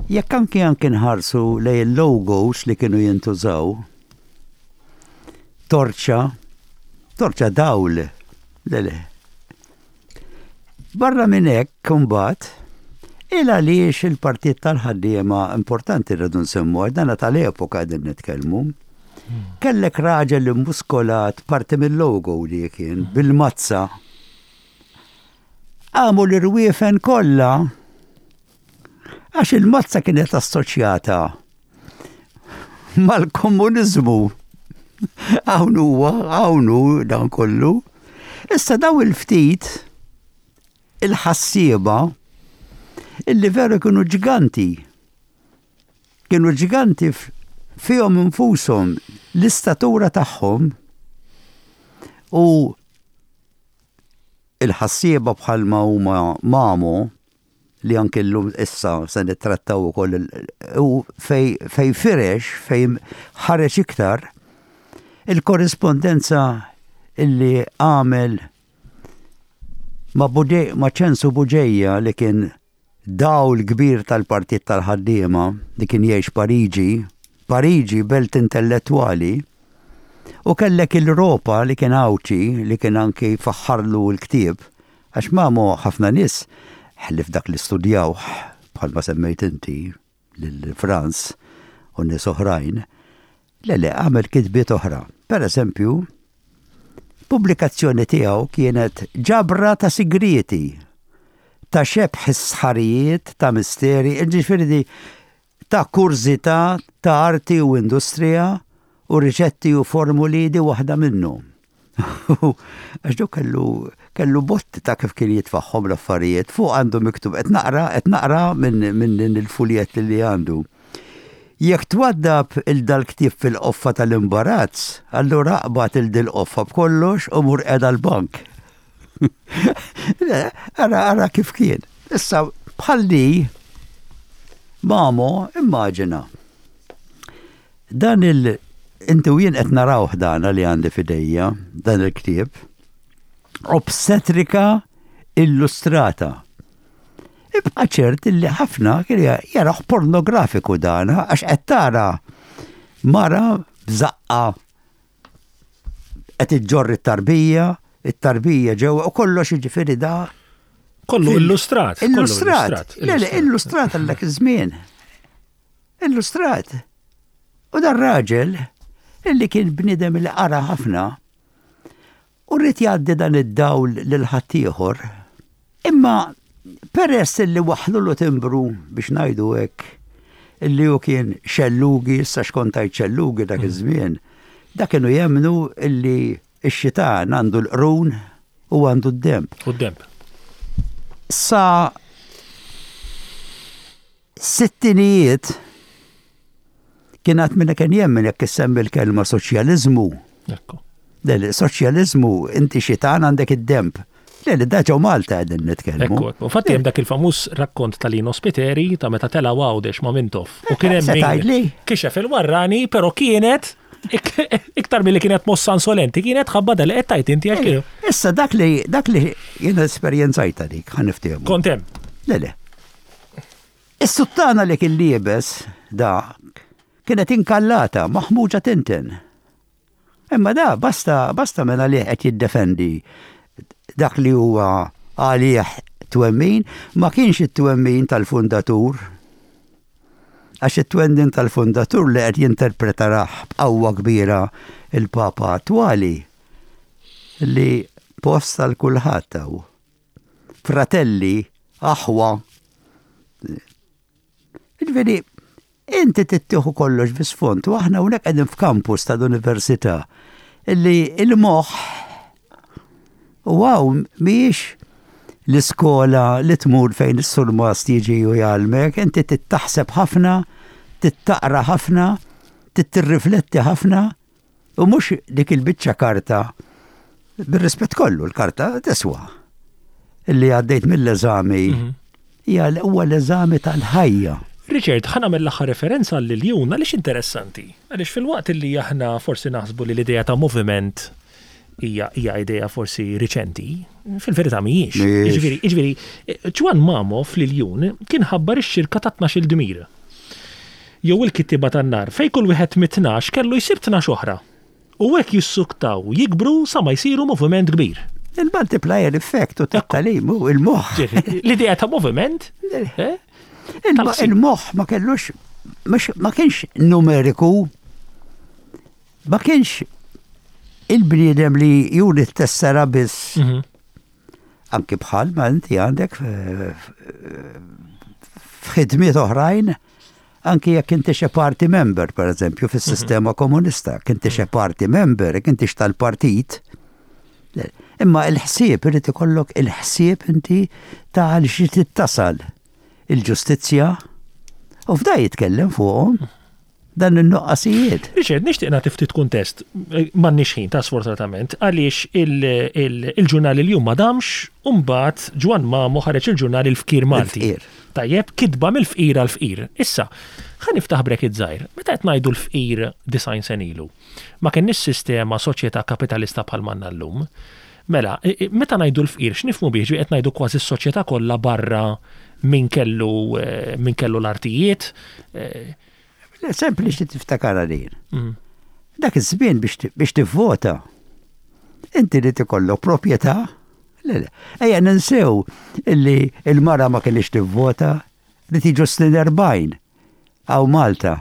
Jekk anki anki nħarsu lejn il-logos li kienu jintużaw, torċa, torċa dawl, le le. Barra minn hekk imbagħad, il għaliex il-Partit tal-Ħaddiema importanti rridu nsemmu għax dana tal-epoka qegħdin nitkellmu. Kellek raġel immuskolat parti mill-logo li kien bil-mazza. Qamu l-irwiefen kollha għax il-mazza kienet assoċjata mal-komuniżmu. Hawn huwa, hawn hu dan kollu. Issa daw il-ftit il-ħassieba illi veru kienu ġganti. Kienu ġganti fihom infushom l-istatura tagħhom u il-ħassieba bħalma huma Mamo li anki llum issa se nittrattaw ukoll u fej fej firex, fej ħareġ iktar il-korrispondenza illi għamel ma' ma' Ċensu Buġeja li kien dawl kbir tal-Partit tal-Ħaddiema li kien jgħix Pariġi, Pariġi belt intellettwali, u kellek il-Ropa li kien Għawdxi li kien anki faħħarlu l-ktieb, għax Mamo ħafna nies, ħlief dak li studjawh bħalma semmejt inti lil Franz u nies oħrajn, le le għamel kitbiet oħra. Per eżempju, pubblikazzjoni tiegħu kienet ġabra ta' sigrieti, ta' xebh is-sħarijiet, ta' misteri, jiġifieri di ta' kurżità ta' arti u industrija u riċetti u formuli di waħda minnhom. Għax dok kellu kellu botti ta' kif kien jitfaħħom l-affarijiet fuq għandu miktub qed naqra qed naqra minn min din il-fuljett li għandu. Jekk twaddab il dal-ktieb fil-qoffa tal-imbarazz, allura aqbad il dil-qoffa b'kollox u mur qiegħda l-bank. Ara ara kif kien. Issa bħal di Mamo immaġina. Dan il inti u jien qed narawh dana li għandi f'idejja, dan il-ktieb. Obstetrika illustrata. Ibqa' ċert li ħafna kien jaraħ pornografiku dana għax qed tara mara b'żaqqa qed iġġorr it-tarbija, it-tarbija ġewwa u kollox jiġifieri da. Kollu illustrat. Illustrat. Le, le, illustrat għal dak iż-żmien. Illustrat. U dar raġel illi kien bniedem li qara ħafna u rrid jgħaddi dan id-dawl lil ħaddieħor. Imma peress illi waħħlulu timbru biex ngħidu hekk illi hu kien xellugi, issa x'kont tgħid xellugi dak iż-żmien, dak kienu jemmnu illi x-xitan għandu l-qrun u għandu d-demb. U d-demb. Sa Sittinijiet kien għad minna kien jemmen jekk issemmi l-kelma soċjaliżmu. Ekku. Le, le, soċjaliżmu inti xitan għandek id-demb. Le, le, da ġew Malta qegħdin nitkellmu. Ekku, ekku. Infatti hemm dak il-famuż rakkont ta' Lino Spiteri ta' meta tela' Għawdex ma' Mintoff. U kien hemm Se tgħidli? kixef il-warrani, però kienet iktar milli kienet mossa insolenti, kienet ħabba dal qed tgħid inti għax kienu. Issa dak li dak li jiena esperjenzajta dik, ħa niftehmu. Kont hemm. Le, le. Is-suttana li kien liebes dak kienet inkallata, maħmuġa tinten. Imma da basta basta minn għalih qed jiddefendi dak li huwa għalih twemmin, ma kienx it-twemmin tal-fundatur. Għax it-twemmin tal-fundatur li qed jinterpretarah b'qawwa kbira il-Papa attwali li post għal kulħadd hawn. Fratelli, aħwa. Ġifieri, inti tittieħu kollox bi sfond u aħna hawnhekk qegħdin f'kampus tal-università illi il-moħħ u hawn mhijiex l-iskola li tmur fejn is-surmast jiġi u jgħallmek, inti tittaħseb ħafna, tittaqra ħafna, tittirrifletti ħafna U mhux dik il-biċċa karta, bir-rispett kollu l-karta tiswa. Illi għaddejt mill-eżami mhm. hija huwa l-eżami tal-ħajja. Richard, ħa nagħmel l-aħħar referenza għal Iljun għaliex interessanti. Għaliex filwaqt li aħna forsi naħsbu li l-idea ta' moviment hija hija idea forsi riċenti, fil-verità mhijiex. Jiġifieri, jiġifieri, Ġwann Mamo fl-Iljun kien ħabbar ix-xirka ta' 12-il dmir. Jew il-kittieba tan-nar, fejn kull wieħed mit-tnax kellu jsib 12 oħra. U hekk jissuktaw jikbru sa ma jsiru moviment kbir. Il-multiplier effect u tat-tagħlim u il-moħħ. L-idea ta' moviment. Eh? Il-moħħ ma kellux ma kienx numeriku ma kienx il-bniedem li juri t-tessera biss. Mhm. Anki bħal ma inti għandek f'ħidmiet oħrajn, anki jekk inti xi party member, per eżempju, fis-sistema mhm. komunista, jekk inti xi party member, jekk inti tal-partit, imma il-ħsieb irid ikollok il-ħsieb inti ta' għal xi tittasal il-ġustizzja u f'da jitkellem fuqhom. Dan in-nuqqasijiet. Richard, nixtieq nagħti ftit kuntest, m'għandniex ħin ta' sfortunatament, għaliex il-ġurnal Il-Jum ma damx u mbagħad Ġwann Mamo ħareġ il-ġurnal Il-Fqir Malti. Tajjeb, kitba mill-fqir għall-fqir. Issa, ħa niftaħ bracket żgħir. Meta qed ngħidu l-fqir 90 sena ilu, ma kenniex sistema soċjetà kapitalista bħal m'għandna llum. Mela, meta ngħidu l-fqir x'nifhmu bih? Ġifieri qed ngħidu kważi s-soċjetà kollha barra min kellu min kellu l-artijiet. Le, sempliċi tiftakarha din. Mm. Dak iż-żmien biex tivvota, inti li tikollok proprjetà, le, le. Ejja ninsew illi il-mara ma kellix tivvota li tiġu snin 40 hawn Malta.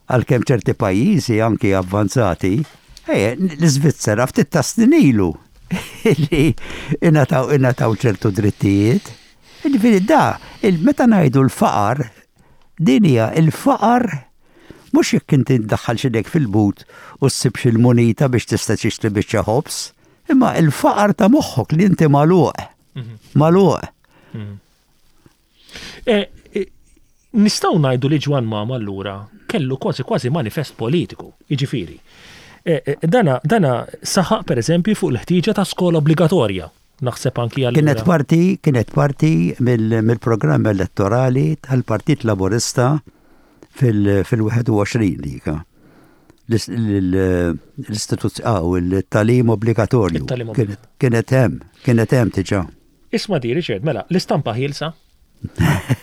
Għalkemm ċerti pajjiżi anki avvanzati, l-Iżvizzera ftit ta' snin ilu li ingħataw ingħataw ċertu drittijiet. Jiġifieri da, meta ngħidu l-faqar, din hija l-faqar mhux jekk inti ddaħħal x'idek fil-but u ssib xi l-munita biex tista' tixtri biċċa ħobż, imma l-faqar ta' moħħok li inti magħluq. Mhm. Magħluq. Mhm. Eh, eh, nistgħu ngħidu li Ġwan Mama allura kellu kważi kważi manifest politiku, jiġifieri. Eh, dana, dana saħaq pereżempju fuq il-ħtieġa ta' skola obbligatorja. Naħseb anki għal. Kienet parti, kienet parti mill-programm elettorali tal-Partit Laburista fil-21 dika. L-istituzzjoni, ah, il-talim obbligatorju. Kienet hemm, kienet hemm diġà. Isma' di, Richard, mela, l-istampa ħielsa?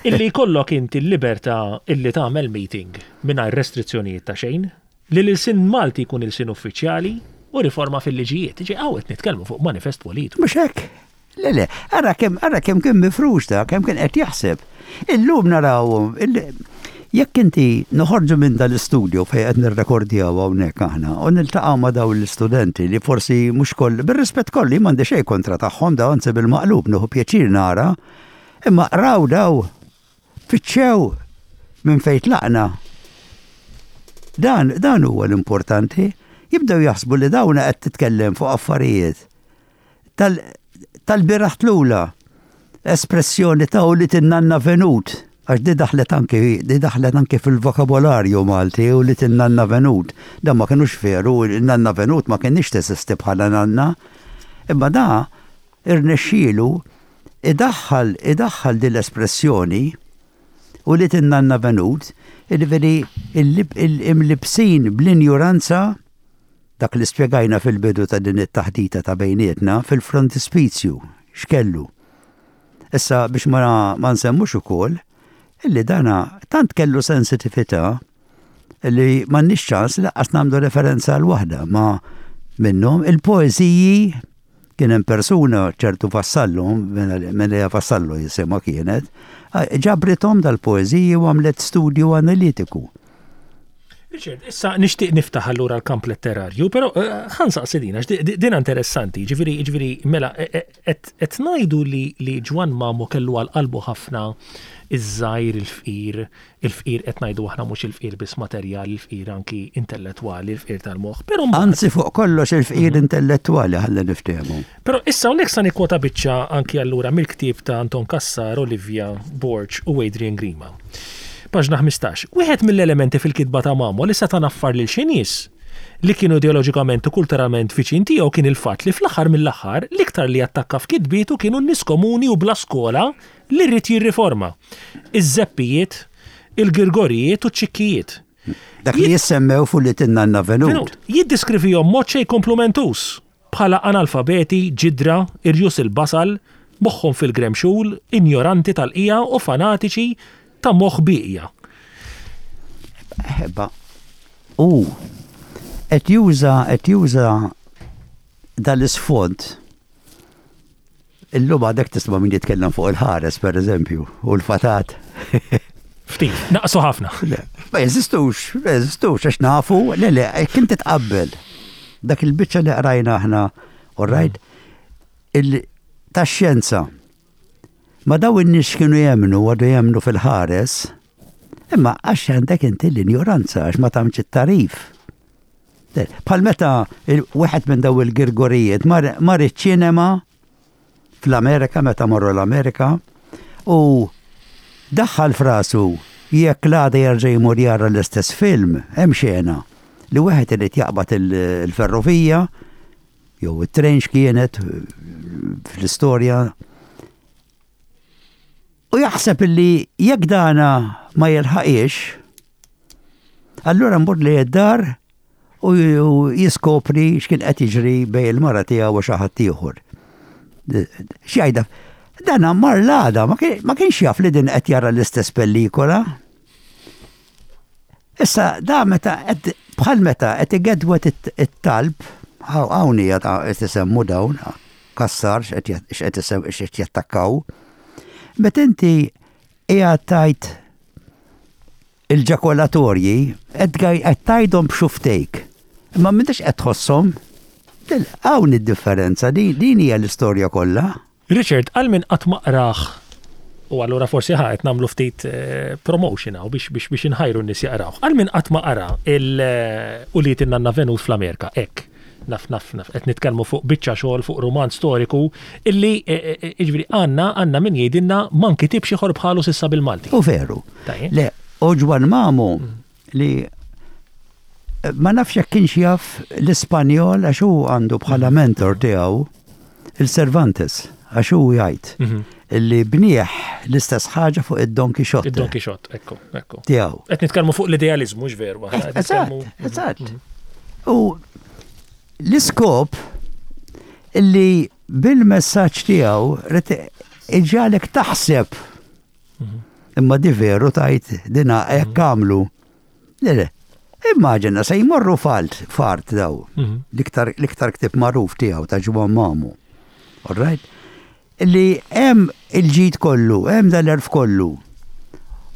Illi jkollok inti l-libertà illi tagħmel meeting mingħajr restrizzjonijiet ta' xejn, li l-ilsien Malti jkun ilsien uffiċjali u riforma fil-liġijiet. Jiġifieri hawn qed nitkellmu fuq manifest politiku. Mhux hekk? Le, le, ara kemm ara kemm kien mifrux da, kemm kien qed jaħseb. Illum narawhom Jekk inti noħorġu minn dal-istudju fejn qed nirrekordjaw hawnhekk aħna u niltaqgħu ma' dawn l-istudenti li forsi mhux koll, bir-rispett kollu jien m'għandi xejn kontra tagħhom daw anzi bil-maqlub nieħu pjaċir nara, imma qraw daw, fittxew minn fejn tlaqna. Dan, dan huwa l-importanti. Jibdew jaħsbu li dawn qed titkellem fuq affarijiet tal-bieraħ tlula, espressjoni ta' ulied in-nanna Venut, għax di daħlet anki di daħlet anki fil-vokabolarju Malti ulied in-nanna Venut. Dan ma kinux veru, in-nanna Venut ma kinitx teżisti bħala nanna. Imma da irnexxielu idaħħal idaħħal din l-espressjoni ulied in-nanna Venut, jiġifieri imlibbsin bl-injuranza Dak li spjegajna fil-bidu ta' din it-taħdita ta' bejnietna fil-frontispizju x'kellu. Issa biex ma, ma nsemmux ukoll illi dana tant kellu sensitività li m'għandniex ċans laqqas nagħmlu referenza għal waħda ma minnhom il-poeżiji kien hemm persuna ċertu Vassallo, Menea Vassallo jisimha kienet, ġabrithom dal-poeżiji u għamlet studju analitiku. Richard, issa nixtieq niftaħ allura l-kamp letterarju, però eh, ħa nsaqsi din, għax din interessanti, ġifieri, ġifieri, mela, eh, eh, qed ngħidu li li Ġwann Mamo kellu għal qalbu ħafna iż-żgħir il-fqir, il-fqir qed ngħidu aħna mhux il-fqir biss materjali, il-fqir anki intellettwali, il-fqir tal-moħħ, però Anzi fuq kollox il-fqir mhm. intellettwali ħalli niftehmu. Però issa hawnhekk sa nikkwota biċċa anki allura mill-ktieb ta' Anton Cassar, Olivia Borg u Adrian Grima. Paġna 15. Wieħed mill-elementi fil-kitba ta' Mamo li seta' naffar lil xi nies li kienu ideoloġikament u kulturalment viċin tiegħu kien il-fatt li fl-aħħar mill-aħħar l-iktar li attakka f'kitbietu kienu n-nies komuni u bla skola li ried jirriforma. Iż-żeppijiet, il-girgorijiet u ċ-ċikkijiet. Dak li jissemmew fuq li tinna Venut. Jiddiskrivihom mod xejn komplumentuż. bħala analfabeti, ġidra, irjus il-basal, moħħhom fil-gremxul, injoranti tal-qiegħa u fanatiċi ta' moħħ bieqja. Ħebba. U qed juża qed juża dal-isfond Illum għadek tisma' min jitkellem fuq il-ħares, per eżempju, u l-fatat. Ftit, naqsu ħafna. Ma jeżistux, ma jeżistux, għax nafu, le le, kien titqabbel. Dak il-biċċa li qrajna aħna, all right, tax-xjenza. Ma daw in-nies kienu jemnu, għadu jemnu fil-ħares, imma għax għandek inti l-injoranza, għax ma tagħmx it-tarif. Bħal meta wieħed minn daw il-Girgorijiet mar iċ-ċinema fl-Amerika meta marru l-Amerika u daħħal frasu jekk l-għada jerġa' jmur jara l-istess film, hemm xena li wieħed irid jaqbad il-ferrovija jew it-train x'kienet fl-istorja u jaħseb illi jekk dana ma jilħaqiex, allura mbur li id-dar u jiskopri x'kien qed jiġri bej il-mara tiegħu u xi ħadd ieħor. X'jgħidha? Dana mar l-għada, ma kienx jaf li din qed jara l-istess pellikola. Issa da meta qed bħal meta qed igedwet it-talb, hawn hija qed isemmu dawn, Cassar x'qed jattakkaw. Meta inti qiegħed tgħid il-ġakolatorji qed tgħidhom b'xuftejk. Imma m'intix qed tħosshom. Hawn id-differenza, din hija l-istorja kollha. Richard, għal min qatt ma qrah, u allura forsi ħa qed nagħmlu ftit eh, promotion hawn biex biex biex inħajru n-nies jaqrawh. Għal min qatt ma qara il eh, ulied in-nanna Venus fl-Amerika, hekk. Naf naf naf qed nitkellmu fuq biċċa xogħol fuq rumanz storiku illi eh, jiġifieri għandna għandna min jgħidilna ma nkitibx ieħor bħalu s'issa bil-Malti. U veru. Le, u Ġwan Mamu mm. li ma nafx jekk kienx jaf l-Ispanjol għax hu għandu bħala mentor tiegħu il-Cervantes għax hu jgħid mhm. li bnieħ l-istess ħaġa fuq id-Don Quixote. Id-Don Quixote, ekku, ekku. Tiegħu. Qed nitkellmu fuq l-idealiżmu, mhux veru. Eżatt, eżatt. Mhm. U l-iskop illi bil-messaġġ tiegħu iġalek taħseb mhm. Imma di veru tajt dina hekk mhm. għamlu. Le, le. Immaġina se jmorru falt fart daw. Mhm. L-iktar ktib magħruf tiegħu ta' Ġwan Mamu. All right? Li hemm il-ġid kollu, hemm dal-erf kollu.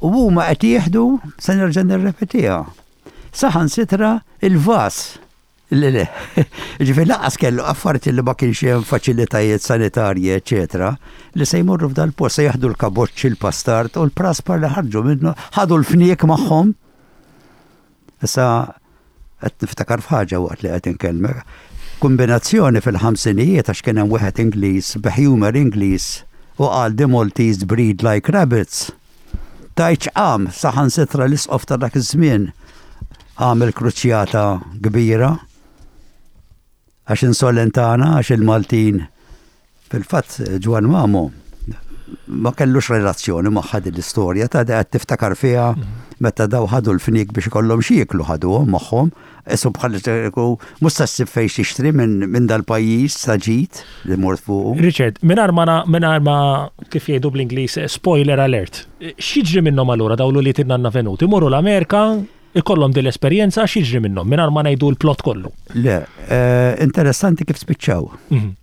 U huma qed jieħdu, se nerġa' nirrepetiha. Saħansitra il-vas Le, le. Ġifieri lanqas kellu affarti li ma kienx hemm faċilitajiet sanitarji, eċetera, li se jmorru f'dal-post, se jaħdu l-kaboċċi, l-pastard u l-praspar li ħarġu minnu, ħadu l-fniek magħhom. Issa qed niftakar f'ħaġa waqt li qed inkellmek. Kombinazzjoni fil-ħamsinijiet għax kien hemm wieħed Ingliż b'humor Ingliż u qal the Maltese breed like rabbits. Tgħidx qam saħansitra l-isqof ta' dak iż-żmien għamel kruċjata kbira għax insolentana għax il-Maltin fil-fatt Ġwan Mamo ma kellux relazzjoni magħha din l-istorja ta' qed tiftakar fiha meta daw ħadu l-fniek biex ikollhom xi jieklu ħaduhom magħhom Isu bħal mhux se ssib fejn tixtri minn dal-pajjiż ta' ġid li mort fuqu. Richard, mingħajr ma mingħajr ma kif jgħidu bl-Ingliż spoiler alert, x'jiġri minnhom allura dawn l-ulied in-nanna Venut? Imorru l-Amerika, ikollhom din l-esperjenza, x'jiġri minnhom mingħajr ma ngħidu l-plot kollu? Le, eh, interessanti kif spiċċaw. Mhm.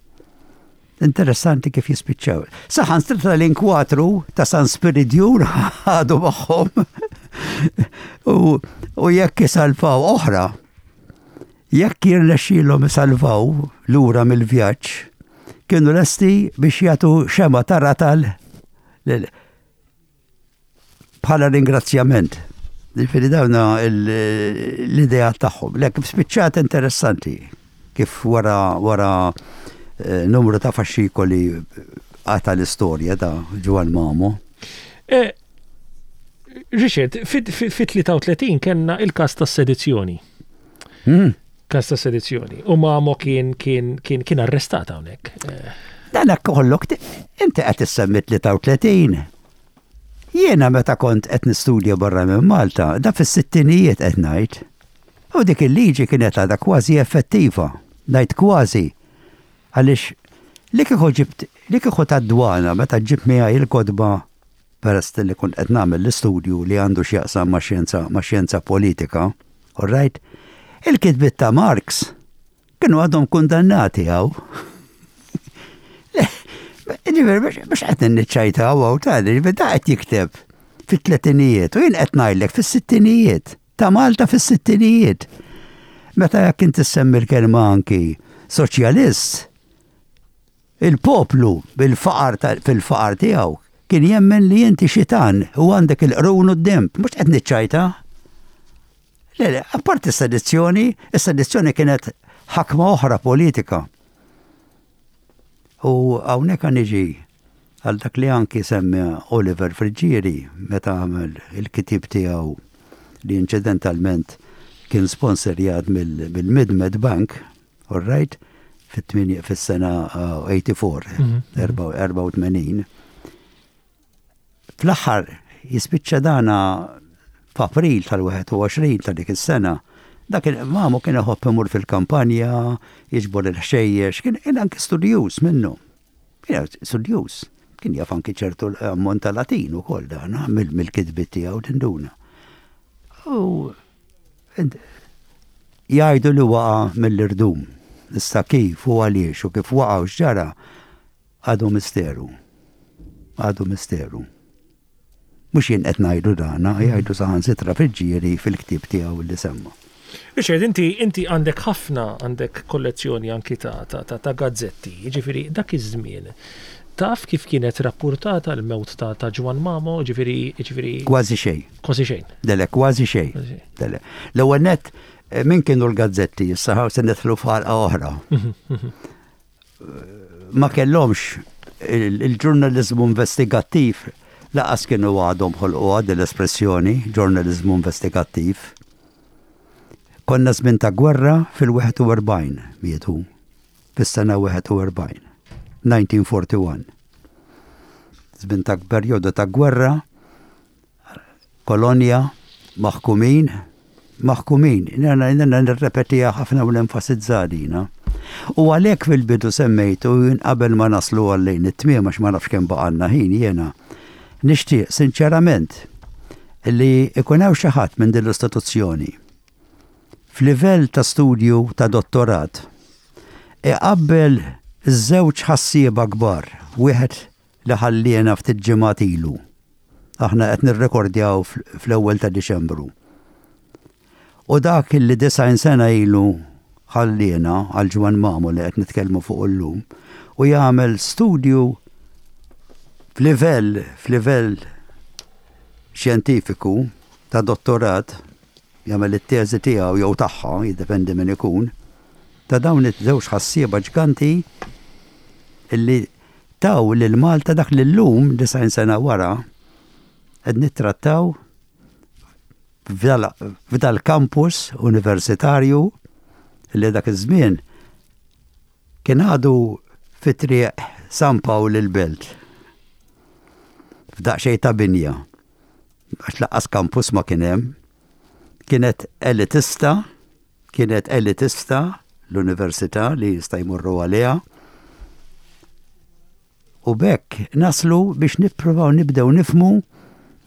Interessanti kif jispiċċaw. Saħansitra l-inkwatru ta' San Spiridjun ħadu magħhom. U jekk isalvaw oħra, jekk jirnexxielhom isalvaw lura mill-vjaġġ, kienu lesti biex jagħtu xema ta' ratal bħala ringrazzjament. Ġifieri dawna l-idea tagħhom. Le kif spiċċat interessanti kif wara wara eh, numru ta' faxxikoli għata l-istorja ta' Ġwan Mamo. Eh, Richard, fit-33 kellna il-kas ta' sedizzjoni. Hmm. Kas ta' sedizzjoni. U Mamo kien kien kien kien arrestat hawnhekk. Eh. Dan hekk kollok inti qed issemmi 33. Jiena meta kont qed nistudja barra minn Malta, da fis-sittinijiet qed ngħid. U dik il-liġi kienet għadha kważi effettiva. Ngħid kważi. Għaliex li kieku ġibt, li kieku tad-dwana meta ġibt miegħi il-kotba peress li kont qed nagħmel l-istudju li għandu x'jaqsam ma' xjenza ma' xjenza politika, all right? Il-kitbiet ta' Marx kienu għadhom kundannati hawn. Le, ġifieri biex qed niċċajtaw hawn ta' ġifieri da qed jikteb fit-tletinijiet u jien qed ngħidlek fis-sittinijiet. Ta' Malta fis-sittinijiet. Meta jekk inti ssemmi l-kelma anki soċjalist, il-poplu bil-faqar fil-faqar tiegħu kien jemmen li inti xitan u għandek il-qrun u d-demb, mhux qed niċċajta. Le, le, apparti s-sedizzjoni, is-sedizzjoni kienet ħakma oħra politika. U hawnhekk niġi għal dak li anki semma Oliver Friggieri meta għamel il-kitib tiegħu li inċidentalment kien sponsorjat mill-Mid-Med Bank, all right, fis-sena 84, 84. Fl-aħħar jispiċċa dana f'April tal-21 ta' dik is-sena, dak il-mamu kien iħobb imur fil-kampanja, jiġbor il-ħxejjex, kien anki studjuż minnu. Kien studjuż, kien jaf anki ċertu ammont ta' Latin ukoll dan, mill-kitbiet tiegħu tinduna. U jgħidu li waqa' mill-irdum. Issa kif u għaliex u kif waqa' u x'ġara għadu misteru. Għadu misteru. Mhux jien qed ngħidu dana, jgħidu saħansitra Friggieri fil-ktieb tiegħu li semma. Richard, inti inti għandek ħafna għandek kollezzjoni anki ta' ta' ta', ta gazzetti, jiġifieri dak iż-żmien taf kif kienet rappurtata l-mewt ta' ta' Ġwann Mamo, jiġifieri jiġifieri Kważi xejn. Kważi xejn. Dele, kważi xejn. Dele. L-ewwel nett eh, min kienu l-gazzetti issa se nidħlu f'ħalqa oħra. Mhm, mhm. Ma kellhomx il-ġurnaliżmu investigattiv laqas kienu għadhom ħolquha din l-espressjoni, ġurnaliżmu investigattiv. Konna żmien ta' gwerra fil-41 mietu, fis-sena 41, 1941. Żmien ta' perjodu ta' gwerra Kolonja, maħkumin, maħkumin. Jiena nirrepetiha ħafna u nenfasizza dina. U għalhekk fil-bidu semmejtu jien qabel ma naslu għal lejn it-tmiem għax ma nafx kemm baqgħalna ħin jiena nixtieq sinċerament li ikun hawn xi ħadd minn din l-istituzzjoni f'livell ta' studju ta' dottorat iqabbel iż-żewġ ħassieba kbar, wieħed li ħalliena ftit ġimgħat ilu. Aħna qed nirrekordjaw fl-ewwel ta' Diċembru. U dak li 90 sena ilu ħalliena għal Ġwann Mamo li qed nitkellmu fuq illum u jagħmel studju f'livell f'livell xjentifiku ta' dottorat jagħmel it-teżi tiegħu jew tagħha, jiddependi min ikun, ta' dawn iż-żewġ ħassieba ġganti illi taw lil Malta dak li llum, 90 sena wara, qed nittrattaw f'dal-kampus universitarju li dak iż-żmien kien għadu fi triq San Pawl il-Belt. F'daqsxejn ta' binja. Għax laqqas kampus ma kien hemm. Kienet elitista Kienet elitista l-università li jista' jmorru għaliha. U b'hekk naslu biex nippruvaw nibdew nifhmu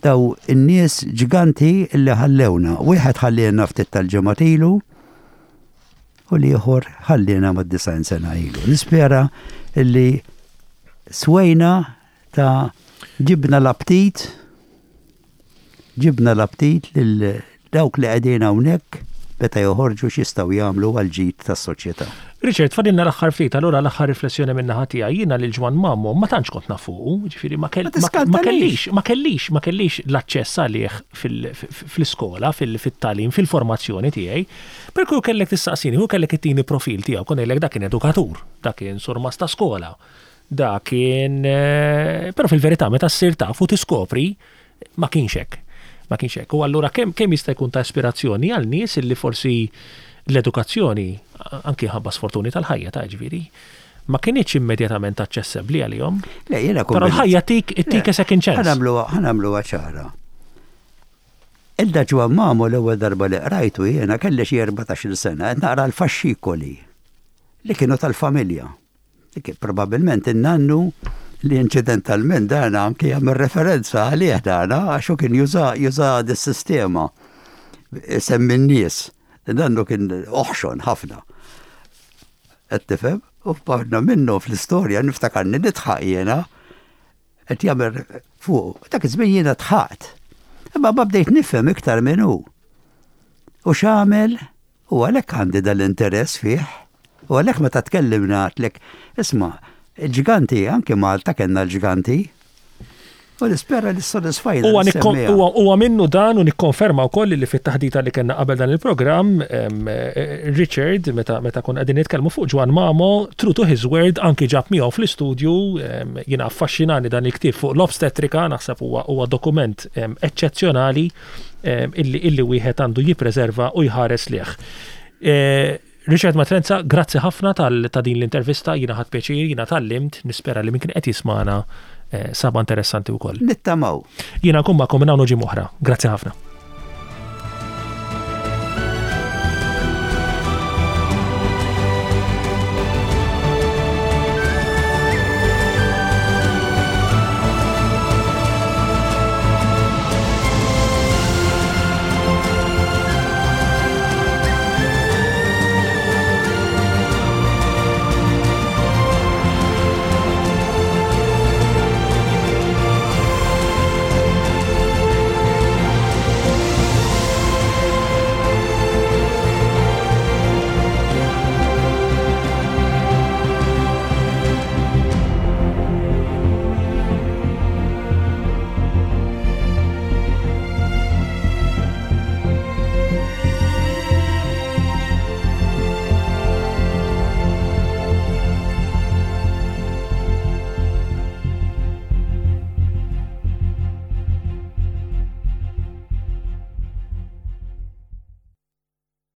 daw in-nies ġganti li ħallewna. Wieħed ħalliena ftit tal-ġimgħat ilu u l-ieħor ħalliena mad-90 sena ilu. Nispera li swejna ta' ġibna l-aptit Ġibna l-aptit lil dawk li qegħdin hawnhekk meta joħorġu x'jistgħu jagħmlu għall-ġid tas-soċjetà. Richard, fadilna l-aħħar ftit, allura l-aħħar riflessjoni min-naħa tiegħi. Jiena lil Ġwann Mamo ma tantx kont naf fuqu, jiġifieri ma kellix, ma kellix, ma kellix l-aċċess għalih fl-iskola, fit-tagħlim, fil-formazzjoni tiegħi. Per kieku kellek tistaqsini, kieku kellek ittini profil tiegħu, kont ngħidlek dak kien edukatur, dak kien surmast ta' skola, dak kien. Però fil-verità meta ssir taf u tiskopri Ma kienx hekk. Ma kienx hekk. U allura kemm kemm jista' jkun ta' ispirazzjoni għal nies illi forsi l-edukazzjoni, anki ħabba sfortuni tal-ħajja ta' ġifieri, ma kinitx immedjatament aċċessibbli għalihom. Le, jiena Però l-ħajja tik tik a second chance. Ħa nagħmluha ċara. Ilda Ġwann Mamo l-ewwel darba li qrajtu jiena kelli xi 14-il sena qed naqra l-faxxikoli li kienu tal-familja. Dik probabbilment in-nannu li inċidentalment dana anke jagħmel referenza għalih dana għax hu kien juża juża dis-sistema semmi n-nies. Nannu kien oħxon ħafna. Qed tifhem? U f'paġna minnu fl-istorja niftakarni nidħaq jiena qed jagħmel fuq. Dak iż-żmien jiena dħaqt. Imma ma bdejt nifhem iktar minn hu. U x'għamel? U għalhekk għandi dal-interess fih. U għalhekk meta tkellimna għedtlek, isma', il-ġganti, anke Malta kellna l-ġganti. U nispera li ssodisfajna. Huwa minnu dan u nikkonferma wkoll li fit-taħdita li kellna qabel dan il-programm, Richard, meta meta konna qegħdin nitkellmu fuq Ġwann Mamo, true to his word anki ġab miegħu fl-istudju, jiena affaxxinani dan il-ktieb fuq l-obstetrika, naħseb huwa dokument eċċezzjonali. illi illi wieħed għandu jippreserva u jħares lejh. Richard Matrenza, grazzi ħafna tal ta' din l-intervista, jiena ħadt pjaċir, jiena tgħallimt, nispera li min kien qed jismagħna saba interessanti wkoll. Nittamaw. Jiena nkun magħkom minn hawn u ġimgħa oħra. Grazzi ħafna.